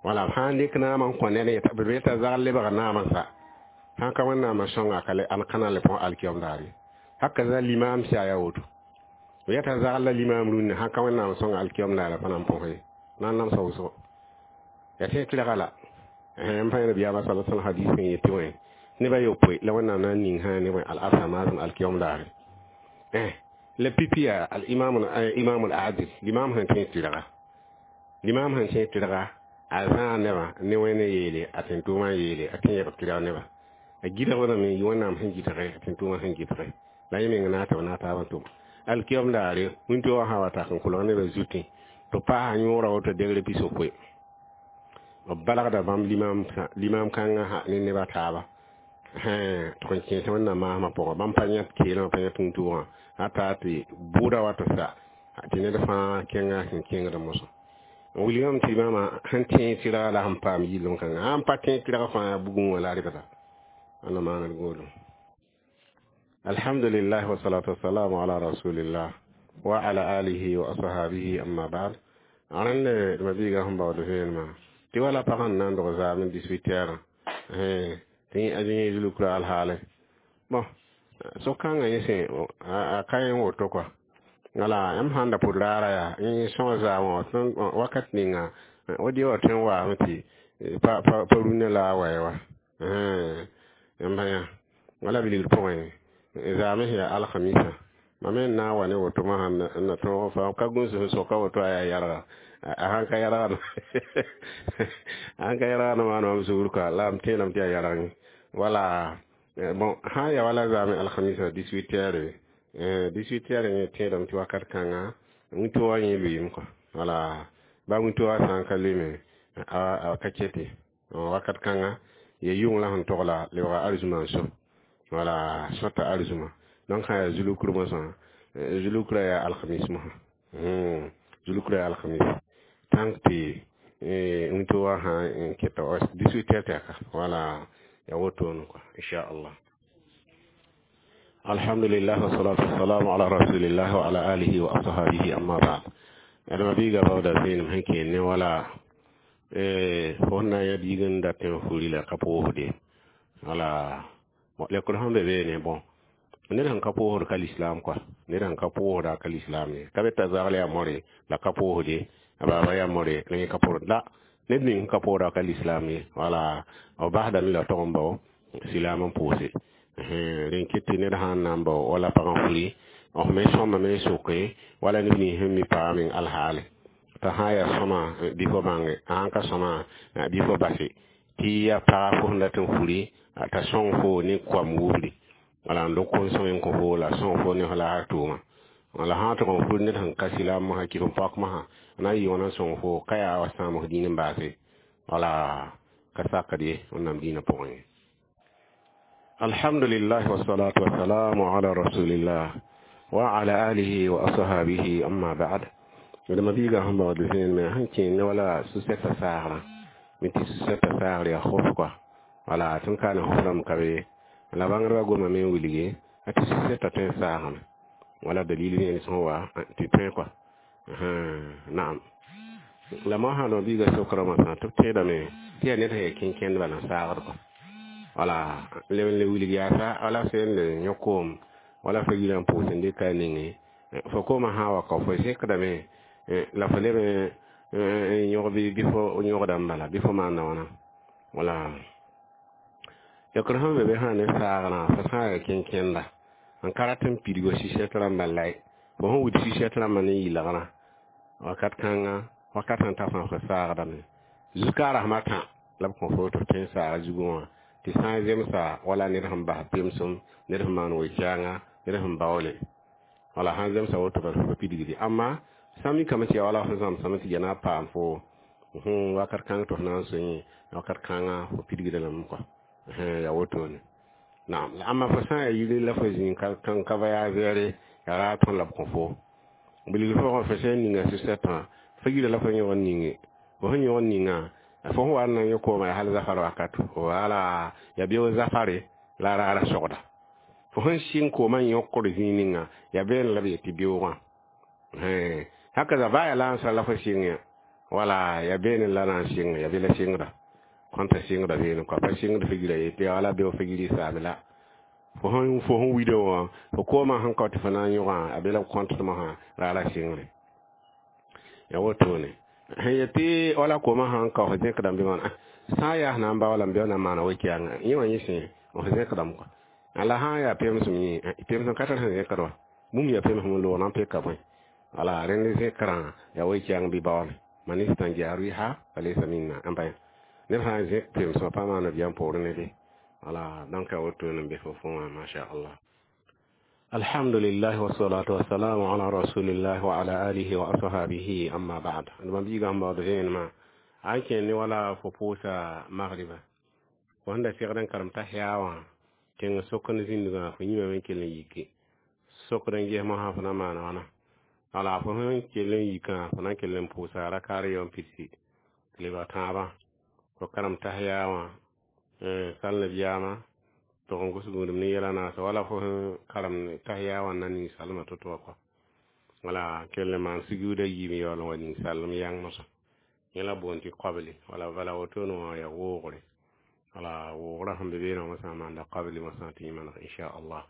wala b sã n dɩk naam n kõ ned b yeta zagl lebga naamã sa sãn ka Wẽnnaam n sõnga ka ka na n le põs alkiyom daar ye haka za limaam sia yaa woto b yeta zagl la limaam rũnnã sãn ka Wẽnnaam n sõnga alkiyom daar pa na n põs ye na n namsa wʋsgo ya tẽ tɩrga la n pa nabiyaamã sala sallam hadis sẽn yetɩ wẽ nebã yopoe la Wẽnnaam na n ning sã ne al-arsa maasem alkiyom daare la pipi yaa al-imam imam al-adil limam sẽn tẽ tɩrga limam sẽn tẽ tɩrga a zãa nebã ne wẽne yeele a tẽn-tʋʋmã yeele a tẽ yɛg tɩrg nebã a gɩdgdame yɩ Wẽnnaam sẽn gɩdge a tẽn-tʋʋmã sẽn gɩdge la yẽ meng na tɩ b na taab n tʋm alkiyom daare wĩntoogã sã wa tak n kolg nebã zutẽ tɩ paasa yõora woto degre pisopoe b balgda bãmb limam kãngã ha ne nebã taaba tɩg n kẽes Wẽnnaam maasmã pʋgã bãmb pa yãt keelmã pa yãt tũud-tʋʋgã hata tɩ bʋʋda wa tɩ sa tɩ ned fãa kẽnga sẽn kẽngd mosã n wilgame tɩ bãmba sẽn tẽeg tɩrga la sẽn paam yillem kãngã sãn pa tẽeg tɩrg fãa yaa bugum wã la a rɩbda ãnda maaned goolem alhamdulillah wasalatu wasalamu ala rasulillah wa ala alihi wa ashabihi amma ba'd rẽnd mabiiga sẽn baood vẽenemã tɩ wala pag n na n dog zaam dix-huit heures tɩ a yẽ zulukra alhaale bon so-kãngã yẽ sẽn a ka yẽ woto kɔa wala yãmb sãn da pʋd raara yaa yẽ sõs zaamã wakat ninga wa dɩ wa tõe n waame tɩ pa pa rũnnã la a wa ye wa yãmb yã wala bilgr pʋgẽ zaame sẽn yaa alhamisa mam me n na n wa ne woto mosã n na tõog fa ka gũus sẽn soka woto a yaa yɛlga a sãn ka yɛlgd a sãn ka yɛlgd maana mam sugr kɔa la m tẽedame tɩ yaa yɛlg wala bon sã n ya wala zaame alhamisa dix-huit heures dix-huit heures yẽ tẽedame tɩ wakat kãnga wĩntoogã yẽ lʋɩɩm kɔa wala ba wĩntoogã sã n ka lʋɩme a ka kete wakat kãnga ya yʋng la sẽn togla lebga arzuma n so wala sõta arzuma donc sã yaa zulukr mosã zulukrã yaa alhamis mosã zulukra yaa alhamis tãnk tɩ wĩntoogã sã n keta dix-huit heures tɛka wala ya wotoone kɔa inchallah alhamdulillah wasalatu wasalamu ala rasulillah wa ala alihi wa ashabihi amma ba'd adama biiga baooda vẽenem sẽn kẽen ne wala fo sẽn na n yã biig n dat tẽ furi la ka pʋʋsde wala lekr sẽn be beene bon ned sẽn ka pʋʋsd ka lislaam kɔa ned sẽn ka pʋʋsda ka lislaam ye ka be t'a zagl yaa more la ka pʋʋsde a baaba yaa more la yẽ ka pʋʋsd la ned ning sẽn ka pʋʋsda ka lislaam ye wala b basdame la tog n bao silaam n pʋʋse rẽn ket tɩ ned sã n na n bao wala pag n furi f me sõmame n soke wala neb nins sẽn mi paa meng alhaale t'a sã n yaa sõma bɩ fo bãnge a sãn ka sõma bɩ fo base tɩ yaa paga fo sẽn dat n furi t'a sõng fo ne koam wubri wala n dog kom-sõng n kõ fo la sõng fo ne f laasr tʋʋma la sã n tʋg n fur ned sẽn ka silaam mosã kɩf n paok mosã na n yɩ wãna n sõng fo ka yaa wa sãam f dĩin n baase wala ka sakd ye Wẽnnaam dĩinã pʋgẽ ye alhamdulillah wasalatu wasalamu ala rasulillah wa ala alihi wa ashabihi amma ba'd d mabiiga sẽn baood vẽenemã sẽn kẽen ne wala su-sɛtã saagrã me tɩ su-sɛtã saagr yaa khof kɔa wala tɩ n ka ne khof rãmb ka be la bãngdbã gomame n wilge a tɩ su-sɛtã tõe n saagame wala dalil vẽen sẽn wa tɩ tõe kɔa naam la mosã d mabiiga sokra mosã tɩ b tẽedame tɩ yaa ned sẽn yaa kẽn-kẽndbã la n saagd kɔa wala leb n le wilg yaasa wala sẽn le yõ koom wala fo yirã n pʋʋs n dɩka a nengẽ fo koomã sã n wa ka fo zẽkdame la fo leb n yõg bɩ fo yõgda n bala bɩ fo maanda wãna wala yakr sẽn be be sã ne saagrã fo sã n yaa kẽn-kẽnda n ka rat n pidg sɩsɛt rãmbã lae fo sẽn wid sɩsɛt rãmbã ne yɩlgrã wakat kãnga wakat sẽn ta fãa fo saagdame zukaarasmã tã La b kõ fo tɩ f tõe n saaga zugẽ wã tɩ sã n zemsa wala ned sẽn bas pemsem, ned sẽn maan we-kɛɛnga, ned sẽn baoole, wala sãn zemsa woto bala fo pa pidgdi. Amma sã n mikame tɩ yaa wala fo zãmsame tɩ ya na n paam fo wakat kãng tɩ f na n sõe wakat kãngã fo pidgda lame kɔa, yaa wotone. Naam, la ãmba fo sã n yaa yiri la fo zĩ ka voyageere, yaa raa tõe la b kõ fo bilg fo fo sẽn ninga sɩsɛtã fo yira la fo yõg n ninge fo sẽn yõg n ninga fo sẽn wa n na n yõ kooma yaa hal zafar wakat, wala yaa beoog zafare la a raara sogda fo sẽn sɩng koomã yõkd zĩig ninga yaa beene la b yet tɩ beoogã haka baa yaa la n sã la fo sɩng ya wala yaa beene la na n sɩng yaa be la sɩngda kõnta sɩngda beene kɔa pa sɩngd fo yira ye tɩ wala beoog fo yiri saame la fo sẽn fo sẽn wida wã fo koomã sẽn kao tɩ fo na n yõgã a be la b kõntd mosã raara sɩngre ya wotone sẽn yet tɩ wala koomã sãn kao fo zẽkdame bɩ wãna sã n yaa sẽn na n baoolame bɩ na n maana we-kɛɛngã yẽ wã yẽ sẽ f zẽkdame kɔa la sã n yaa pemsem yẽ pemsem ka tar sẽn zẽkd wa bũmb yaa pemsem n loog na n peka bõe wala rẽnd zẽkrã yaa we-kɛɛng bɩ baoole man istanja riha falaysa minna n bã ned sã n zẽk pemsmã pa maana biyam poorẽ ne be wala. Donc a wotone n be fo fo wã, masha Allah. Alhamdulillah, wassalatu wassalamu ala rasulillah wa ala alihi wa ashabihi, amma ba'd. Ma biiga sẽn baood vẽenemã a n kẽer ne wala fo pʋʋsa magriba fo sẽn da segd n karem t'a wã tẽng sok n zĩndgã fo yĩmame n kell n yike sokd n ges mosã fo na n maana wãna wala fo sẽn kell n yikã fo na n kell n pʋʋsa rakaar yao n pidsi lebg tãabã fo karem t'a wã sal nabiyaamã tʋg n gʋs gũudum ne yɛla naasa wala fo sẽn karem tahiya wã na ninsalmã to-to wã kɔa wala kell n maan sujuuda yiib n yaool n wa ninsalem yãng mosã yẽ la boond tɩ qabli wala bala wotone wã yaa woogre wala woogrã sẽn be beene wã mosã maanda qabli mosã tɩ yẽ maneg inchallah.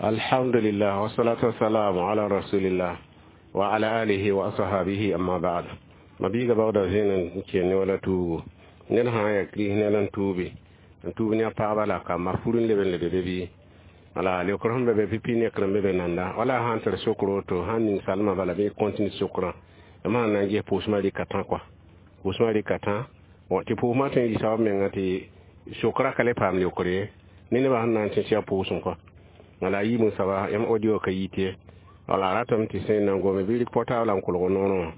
Alhamdulillah, wassalatu wassalamu ala rasulillah wa ala alihi wa ashabihi, amma ba'd. Ma biiga baoodã zẽen n kẽen ne wala tuugo ned sã n yaa kirist ned n tuubi n tuub ne a pagba la kamba fur n leb n lebe be bɩ wala leokr sẽn be be pipi nekr n be be nanda wala sã n tar sokr woto sãn ning salmã bala bɩ continue sokrã m sãn na n ges pʋʋsmã rɩka tã kɔa pʋʋsmã rɩka tã tɩ pʋʋsmã tõe n yɩ soab menga tɩ sokra ka le paam leokr ye ne nebã sẽn na n tẽ tɩ yaa pʋʋsem kɔa wala yiib n soaba yãmb audio ka yit ye wala ratame tɩ sẽn na n gome bɩ rɩk portable n kolg noorẽ wã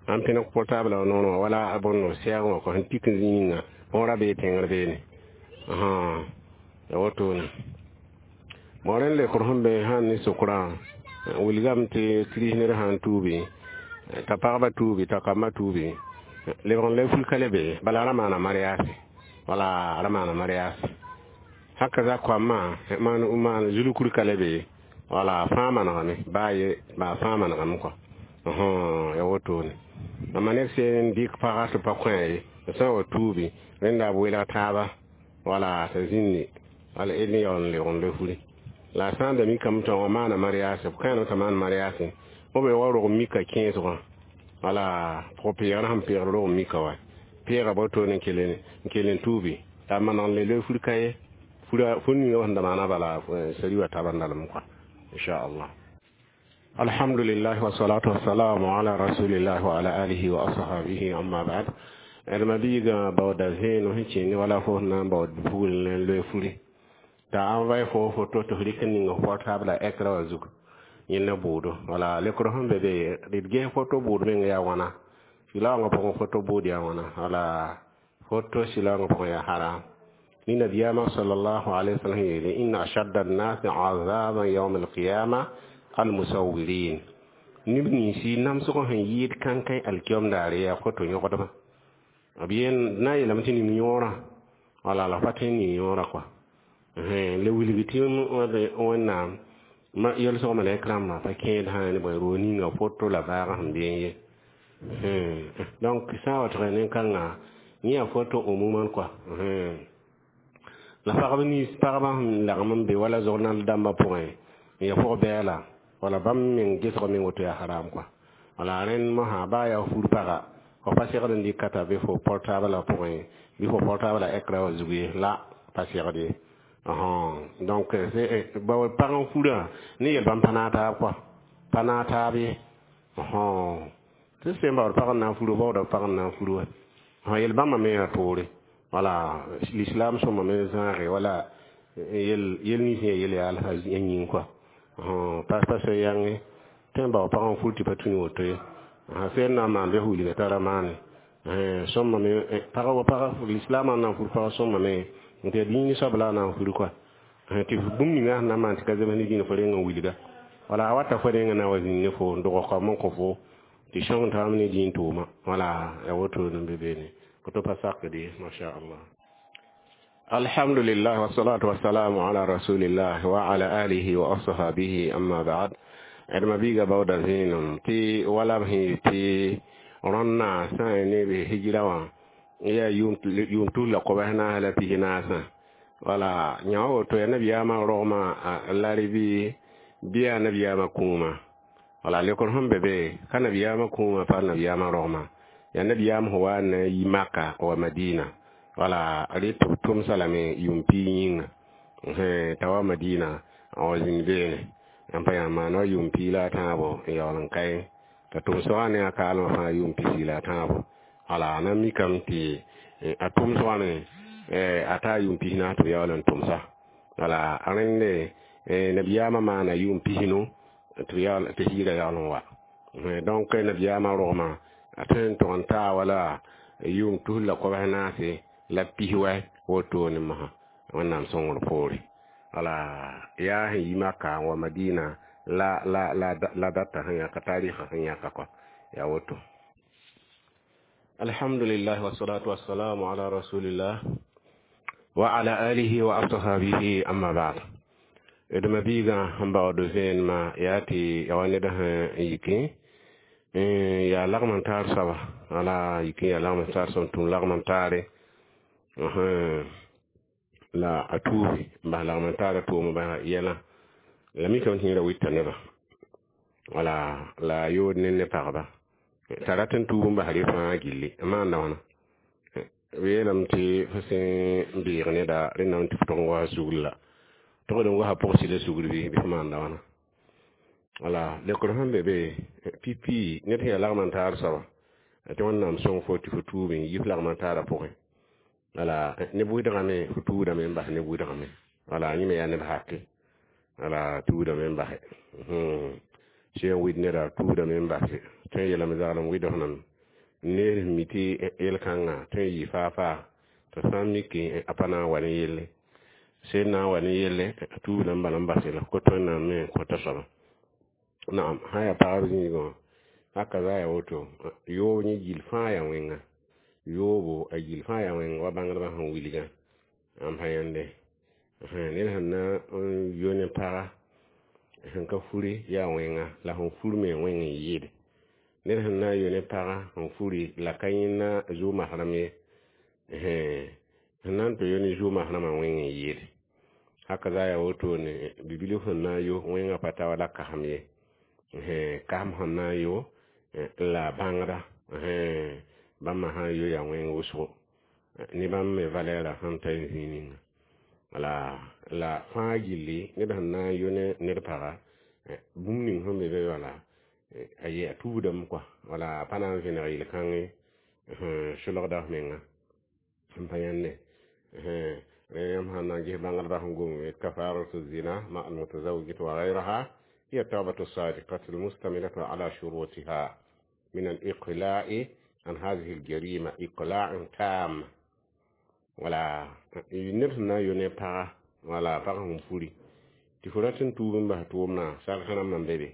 an pẽneg portable a noorẽ wã wala a bõn sɛɛg wã kɔ sẽn tik n zĩ ninga bõora bee tẽngr beene ya wotone bõ rẽnd lekr sẽn be sãn ne sokrã wilgame tɩ kirist ned sãn tuubi t'a pagba tuubi t'a kambã tuubi lebg n le ful ka le be bala ra maana mariage wala ra maana mariage haka za koamã maan maan zulkur ka le be wala fãa manegame baa ye baa fãa manegame kɔa ya wotone amma ned sẽn dɩk paga tɩ pa kõ ye sã n wa tuubi rẽnda b welg taaba wala t'a zĩnde wala d yaool n lebg n le furi la sã n da mikame tɩ wã maana mariage b kãenem t'a maan mariage b be wa rog mika kẽesgã wala pʋg-peegr sẽn peegd rog mika wa peega wotone n kell n tuubi t'a maneg n le loe fur ka ye fur ninga sẽn da maana bala sari wa taaba n dalem kɔa inchallah. Alhamdulillah, wassalatu wassalamu ala rasulillah wa ala alihi wa ashabihi, amma ba'd. D ma biigã baooda vẽenem sẽn kẽnd wala fo sẽn na n baood bugl n loe furi t'a envoye fo photo tɩ f rɩk n ning f portable a écran wã zug yẽnd bʋʋdo wala lekr sẽn be be d ges photo bʋʋd meng yaa wãna sɩlaoongã pʋgẽ photo bʋʋd yaa wãna wala photo sɩlaoongã pʋgẽ yaa haram ni nabiyama sallallahu alaihi wasallam yeele inna ashadda an-nas azaban yawm al-qiyamah al-musawwirin neb ninsi namsg sẽn yɩɩd kãnkã alkiyom daare yaa photo yõgdbã b yen na n yeelame tɩ ning yõorã wala la pa tõe n ning yõorã kɔa le wilg tɩ Wẽnnaam yelsg malɛk rãmbã pa kẽed sã ne bõe roog ninga photo la vaagã sẽn beẽ ye. Donc sã n wa tɩg nin-kãngã yẽ yaa photo umuman kɔa la pagb nins pagba sẽn lagem n be wala journal dãmbã pʋgẽ n ya pʋg-bɛɛla wala bãmb meng gesg meng woto yaa haram kɔa wala rẽnd mosã baa yaa fur paga fo pa segd n dɩk t'a bɩ fo portable pʋgẽ bɩ fo portable écran wã zug ye la pa segd ye. Donc pag n furã ne yel bãmb pa naag taab kɔa pa naag taab ye. Tɩ sẽn baood pag n na n furu baooda pag n na n furu wa sã yel bãmba me yaa toore wala l'islam sõma me zãage wala yel yel nins yã yel yaa alfa yĩng kɔa pa pa sã yãnge tɩ n bao pag n fur tɩ pa tũ ne woto ye sẽn na n maan bɩ f wilga t'a ra maane sõma me pag wa pag l'islam n na n fur pag sõma me n tɩ dĩin soab la a na n fur kɔa tɩ bũmb ninga sẽn na n maan tɩ ka zems ne dĩinã fo reng n wilga wala a wata fo reng na wa zĩnd ne fo n dog kaoom n kõ fo tɩ sõng taam ne dĩin tʋʋma wala ya woto n be beene koto pa sakde masha Allah alhamdulillah wassalatu wassalamu ala rasulillah wa ala alihi wa ashabihi amma ba'd adma biga bawda zĩenem tɩ wala b sẽn tɩ rõnna sã n ne b hijra wã yaa yʋʋm tus la kobs naas la pis naasã wala yã wa woto yaa nabiyaamã rogmã laribi bɩ yaa nabiyaamã kũumã wala lekr sẽn be be ka nabiyaamã kũumã pa nabiyaamã rogmã yaa nabiyaam sẽn wa n na n yi maka wa madina wala rɩ tɩ b tʋmsa lame yʋʋm piig yĩnga t'a wa madina n wa zĩnd beene n pa yã maan wa yʋʋm piig la a tãabo n yaool n kae t'a tʋmsgã ne a kaalmã fãa yʋʋm pisi la a tãabo wala a na mikame tɩ a tʋmsgã me a taa yʋʋm pis naas tɩ b yaool n tʋmsa wala rẽnde nabiyaamã maana yʋʋm pisnu tɩ hijra yaool n wa donc nabiyaamã rogmã a tõe n tʋg n taa wala yʋʋm tus la kobs naase la pis wɛ wotone mosã wẽnnaam sõngr poore wala yaa sẽn yi maka n wa madina la la la la data sẽn yãka tarɩɩsã sẽn yãka kɔ yaa woto alhamdulillah wassalatu wassalamu ala rasulillah wa ala alihi wa ashabihi amma ba'd d mabiigã sẽn baood vẽenemã yaa tɩ ya wa ned sẽn yikẽ yaa lagm n taar soaba wala yikẽ yaa lagm n taar soab n tũm lagm n taare la a tuubi n bas lagm n taara tʋʋm bas yɛlã la mikame tɩ yẽ ra wita nebã wala la a yood ne ne pagba t'a rat n tuub n bas rɩ fãa gilli n maanda wãna b yeelame tɩ fo sẽn beeg neda rẽndame tɩ f tʋg n wa sugr la tʋgd n wasa pʋgsɩ sugr bɩ bɩ f maanda wãna wala lekr sẽn be be pipi ned sẽn yaa lagm n taar soaba tɩ wẽnnaam sõng fo tɩ fo tuub n yi f lagm n taarã pʋgẽ wala ne bʋɩdgame fo tuudame n bas ne bʋɩdgame wala yẽ me yaa neb hake wala tuudame n base sẽn wɩd neda tuudame n base tõe n yeelame zaglem wɩdg nam neer mi tɩ yel-kãngã tõe n yɩ faa-faa t'a sã n mik a pa na n wa ne yelle sẽn na n wa ne yelle a tuubda n bala n base la kot wẽnnaam me n kõta soaba naam sã yaa pagb zĩigã haka za yaa woto yoob yẽ gill fãa yaa wẽnga yoobo a gill fãa yaa wẽnga wa bãngdbã sẽn wilgã n pa yãnde ned sẽn na n yo ne paga sẽn ka furi yaa wẽnga la sẽn fur me wẽng n yɩɩde ned sẽn na n yo ne paga sẽn furi la ka yẽnna zu-masrem ye sẽn na n tɩ yo ne zu-masremã wẽng n yɩɩde haka za yaa wotone bibilf sẽn na n yo wẽngã pa ta wala kasem ye kasem sẽn na n yo la bãngda bãmba sã n yo yaa wẽng wʋsgo ne bãmb me valɛɛra sẽn ta n zĩig ninga wala la fãa gilli ned sẽn na n yo ne ned paga bũmb ning sẽn be be wala a ye a tuudame kɔa wala a pa na n vẽneg yel-kãngẽ solgda f menga n pa yãnde yãmb sãn na n ges bãngdbã sẽn gom kafaratu zina ma almutazawwijat wa gayraha hiya tawbatu sadiqatu almustamilatu ala shurutiha min al-iqla'i an hadhihi al-jarima iqla'an tam wala ned sẽn na n yo ne paga wala pag sẽn furi tɩ fo rat n tuub n bas tʋʋmdã sarf rãmbã n be be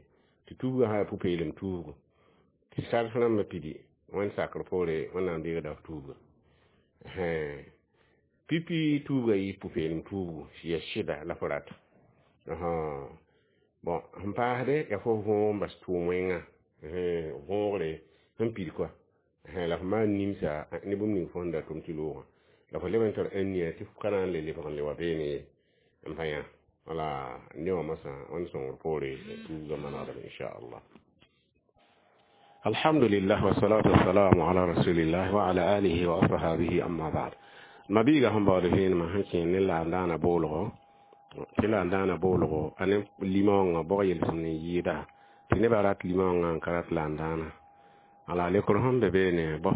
tɩ tuubgã sã yaa pʋ-peelem tuubgo tɩ sarf rãmbã pidi wẽnd sakr poore wẽnnaam deegda f tuubga pipi tuubga yɩ pʋ-peelem tuubgo ya sɩda la fo rata bon sẽn paasde yaa fo võog n bas tʋʋm wẽngã võogre sẽn pid kɔa la f maan nimsa ne bũmb ning fo sẽn da tʋm tɩ loogã la fo leb n tar ãnnia tɩ f ka na n le lebg n le wa beene ye n pa yã wala ne wã mosã wẽnd sõngr poore tuubgã manegdame inchallah alhamdulillah wassalatu wassalamu ala rasulillah wa ala alihi wa ashabihi amma ba'd mabiiga sẽn baood vẽenemã sẽn kẽ ne la n daana boolgo tɩ la n daana boolgo a ne limãongã bog yelsem n yɩɩda tɩ nebã rat limãongã n ka rat la n daana Ala lekr sẽn be beene bõ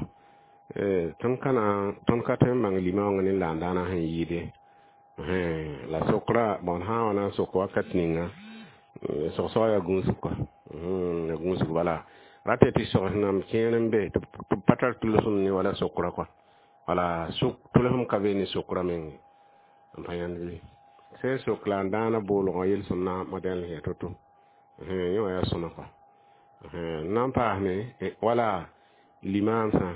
tõnd ka na tõnd ka tõe n bãng limãoongã ne laandaanã sẽn yɩɩde la sokra bõn sã n wa na n sok wakat ninga sogsg yaa gũusg kɔa ya gũusg bala rate tɩ sogs nam kẽer n be tɩ b pa tar tʋlsem ne wala sokra kɔa wala sok tʋlsem ka be ne sokra menge n pa yãnd bɩ sẽn sok la n dãana boolgã yel-sõm na modɛl yaa to-to yẽ wã yaa sõma kɔa n na n paasme wala limaamsã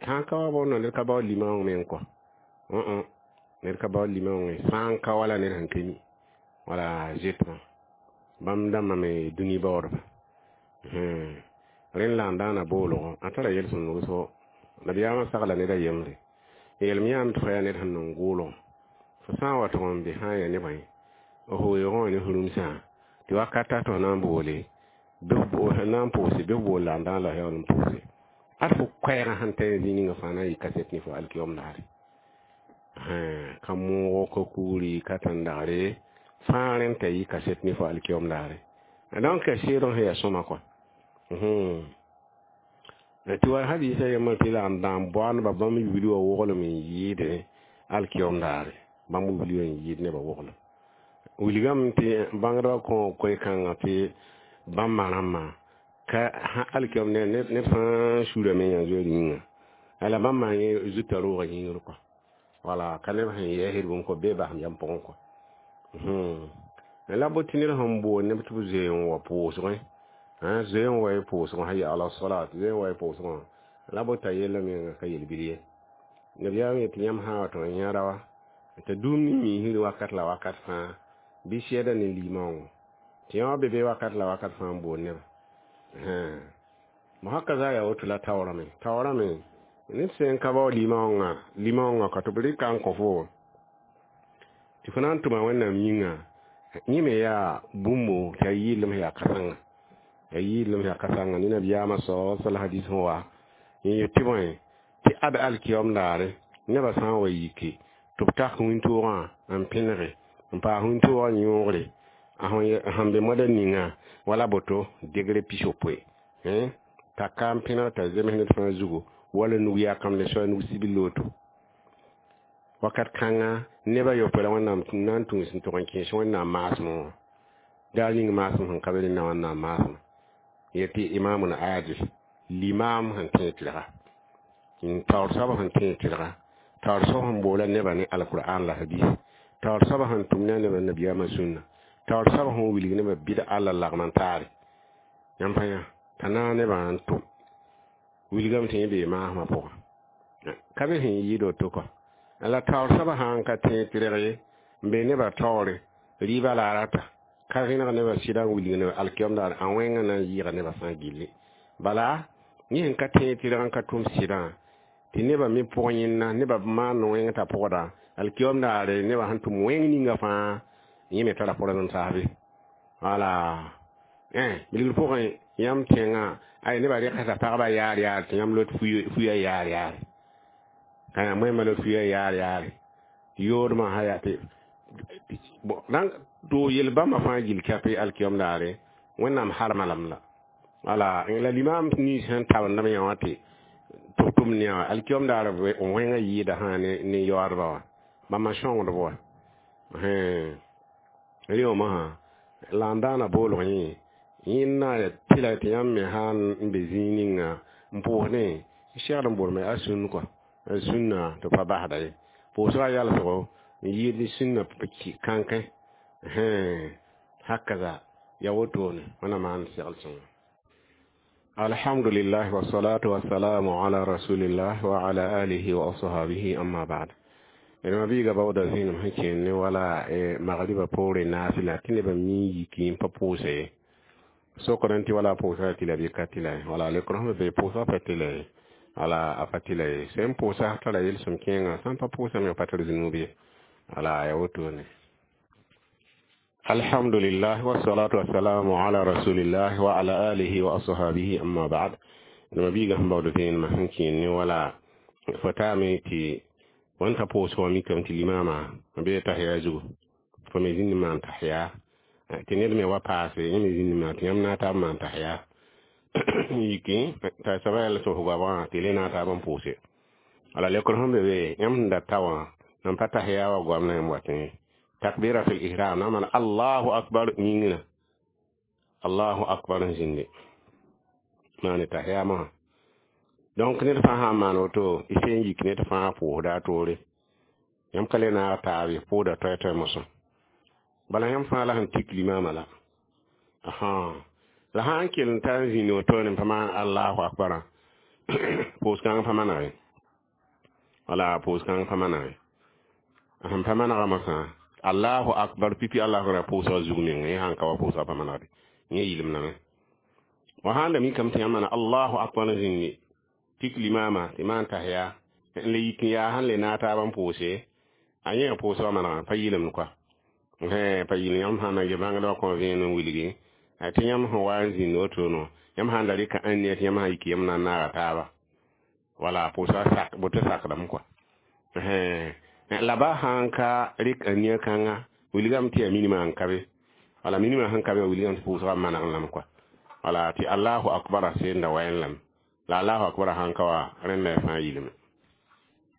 sãn ka wa bõndo ned ka baood limaoong meng kɔa ned ka baood limaoongẽ sã n ka wala ned sẽn ka mi wala zetmã bãmb dãmbã me dũni baoodba rẽnd la n dãana boolgõ a tara yel-sõmd wʋsgo nabiyaamã sagla ned a yembre yeelem yãame tɩ fo yaa ned sẽn nong gʋʋlgõ fo sã n wa tʋg n be sã n yaa nebã ye f weoogẽ wã ne f rũmsã tɩ wakata tɩ f na n boole bɩ f na n pʋʋse bɩ f bool la n dãan la yaool n pʋʋse ad fo koɛɛgã sẽn ta zĩig ninga fãa na n yɩ kaset ne fo alkiyom daare ka moogo ka kugri ka tãn-dagre fãa rẽnd t'a yɩ kaset ne fo alkiyom daare donc seedg sẽn yaa sõma kɔa tɩ wa hadisa yembr tɩ la n dãan boaaneba bãmb wili wã woglem n yɩɩde alkiyom daare bãmb wili wã n yɩɩd nebã woglem wilgame tɩ bãngdbã kõ koe-kãngã tɩ bãmba rãmbã ka alkiyom ned fãa suurame yã zoeer yĩnga la bãmba yẽ zuta roogã yĩngr kɔa wala ka neb sẽn yɛɛsd bũmb kɔ bee basem yam pʋgẽ kɔa la bo tɩ ned sẽn bool neb tɩ b zoe n wa pʋʋsgẽ zoe n wa y pʋʋsgẽ sã ya ala salat zoe n wa y pʋʋsgẽ la bo t'a yella menga ka yel-bil ye nabiyaam yetɩ yãmb sã n wa tɩ n yãada wa t'a dũum ne miisr wakat la wakat fãa bɩ sɛda ne limaoongõ tɩ yã wã be be wakat la wakat fãa n bool neba mosã ka za yaa woto la taoorame taoorame ned sẽn ka bao limaoongã limaoongã ka tɩ b rɩka n kõ fo tɩ fo na n tʋma wẽnnaam yĩnga yẽ me yaa bũmbo tɩ a yɩɩlem yaa kãsengã a yɩɩlem yaa kãsengã ne nabiyaamã sao sal hadis sẽn wa n yet tɩ bõe tɩ ad alkiyom daare nebã sã n wa yike tɩ b tak wĩntoogã n pẽnege n paas wĩntoogã yõogre sẽn be moada ninga wala boto degré pis-yopoe t'a ka n pẽneg t'a zems ned fãa zugu wala nug yakam le soa nug sibil loto wakat kãnga nebã yopoe la wẽnnaam na n tũus n tʋg n kẽes wẽnnaam maasmẽ wã daar ning maasem sẽn ka be ne wẽnnaam maasmã yetɩ imamun adil limaam sẽn tẽeg tɩlga taoor soab sẽn tẽeg tɩlga taoor soab sẽn boola nebã ne alqur'an la hadis taoor soab sẽn tʋm ne a nebã nabiyaamã sũnna taoor soab sẽn wilg nebã bɩd alla lagm n taare yãmb pa yã t'a naag nebã n tʋm wilgame tɩ yẽ bee maasmã pʋgã ka be sẽn yɩɩd woto kɔ la taoor soabã sã n ka tẽeg tɩrg ye n be nebã taoore rɩɩbã la a rata ka rẽneg nebã sɩda n wilg neb alkiyom daar a wẽngã na n yɩɩga nebã fãa gilli bala yẽ sẽn ka tẽeg tɩrg n ka tʋm sɩdã tɩ nebã me pʋg yẽnna nebã maan wẽng t'a pʋgda alkiyom daare nebã sẽn tʋm wẽng ninga fãa yẽ me tara pʋrd n taasbe wala bilgr pʋgẽ yãmb tẽngã ay nebã rɩgsda pagbã yaar yaar tɩ yãmb lot fuya yaar yaare ka yãmb wẽmba lot fuya yaar yaare yoodmã sã yaa tɩ to yel bãmba fãa gill kape alkiyom daare wẽnnaam harma lame la wala la limaam nins sẽn tabendame yã wã tɩ tɩ b tʋm ne wã alkiyom daar wẽngã yɩɩda sã ne yaoodba wã bãmba sõngdb wa rẽwmã sã la n daana boolg yẽ yẽnna tɩla tɩ yãmb me sã n be zĩig ninga n pʋʋsdẽ segd n boolme a sũn kɔa a sũnna tɩ pa basda ye pʋʋsgã yalsgo n yɩɩd ne sũnna kãnkẽ hakaza ya wotone wẽnnaam maan segl sõnga alhamdulillah wassalatu wassalamu ala rasulillah wa ala alihi wa ashabihi amma ba'd ma biiga baooda zĩnem sẽn kẽen ne wala magriba poore naasɩla tɩ nebã mi yiki n pa pʋʋse ye sokr tɩ wala pʋʋsa tɩla bɩ ka tɩla ye wala lekr sẽn be pʋʋsga pa tɩla ye wala a pa tɩla ye sẽn pʋʋsa tara yel-sõm kẽengã sãn pa pʋʋsame pa tar zũnub ye wala ya wotone alhamdulillah wassalatu wassalamu ala rasulillah wa ala alihi wa ashabihi amma ba'd ma biiga sẽn baood vẽenemã sẽn kẽen ne wala fo taame tɩ wãn t'a pʋʋsg wã mikame tɩ limaamã bee tahiya zugu fo me zĩnd n maan tahiya tɩ ned me wa paase yẽ me zĩnd maan tɩ yãmb na n taa n maan tahiya Yiki t'a soaba yaa la sʋs goabgã tɩ le na n taab n pʋʋse. Wala leokr sẽn be be, yãmb sẽn da ta wã nan pa tahiya wa goam la yãmb watẽ ye. Takbiratul ihram na maan Allahu akbar yĩngrã, Allahu akbar n zĩnde maane tahiyamã wã. Donc ned fãa sã n maan woto, y sẽn yik ned fãa pʋʋsda a toore. Yãmb ka le naag taab ye, pʋʋda toɛ-toɛ mosã. Bala yãmb fãa la sẽn tik limama la. Ahan. La sã n kell n ta n zĩnd woto ne pa maan Allahu akbarã, pʋʋs-kãng pa maneg ye. Wala pʋʋs-kãng pa maneg ye. Sẽn pa manegã mosã, Allahu akbar pipi Allahu akbar pʋʋsga zug meng yẽ sãn ka wa pʋʋsga pa manegde. Yẽ yɩlemdame. Wa sãn da mikame tɩ yãmb maana Allahu akbar n zĩndi tik limama tɩ maan tahiya n le yik n yaa sẽn le naag taab n pʋʋse, a yẽ pʋʋsga manegã pa yɩlemd koa. Pa yɩl yãmb sã na n bãngdã wã kõ vẽenem n wilgi tɩ yãmb sẽn wa n zĩnd woto yãmb sãn da rɩka ãn tɩ yãmb sã yik yãmb na n naaga taaba. Wala pʋʋsga sak boto sakdame koa. La ba sãn ka rɩk ania kãnga, wilgame tɩ yaa minimã n ka be. Wala minimã sẽn ka be wilgame tɩ pʋʋsga maneg lame koa. Wala tɩ Allahu akbar sẽn da waẽ lame. La Allahu akbar sãn ka wa rẽnda fãa yɩlme.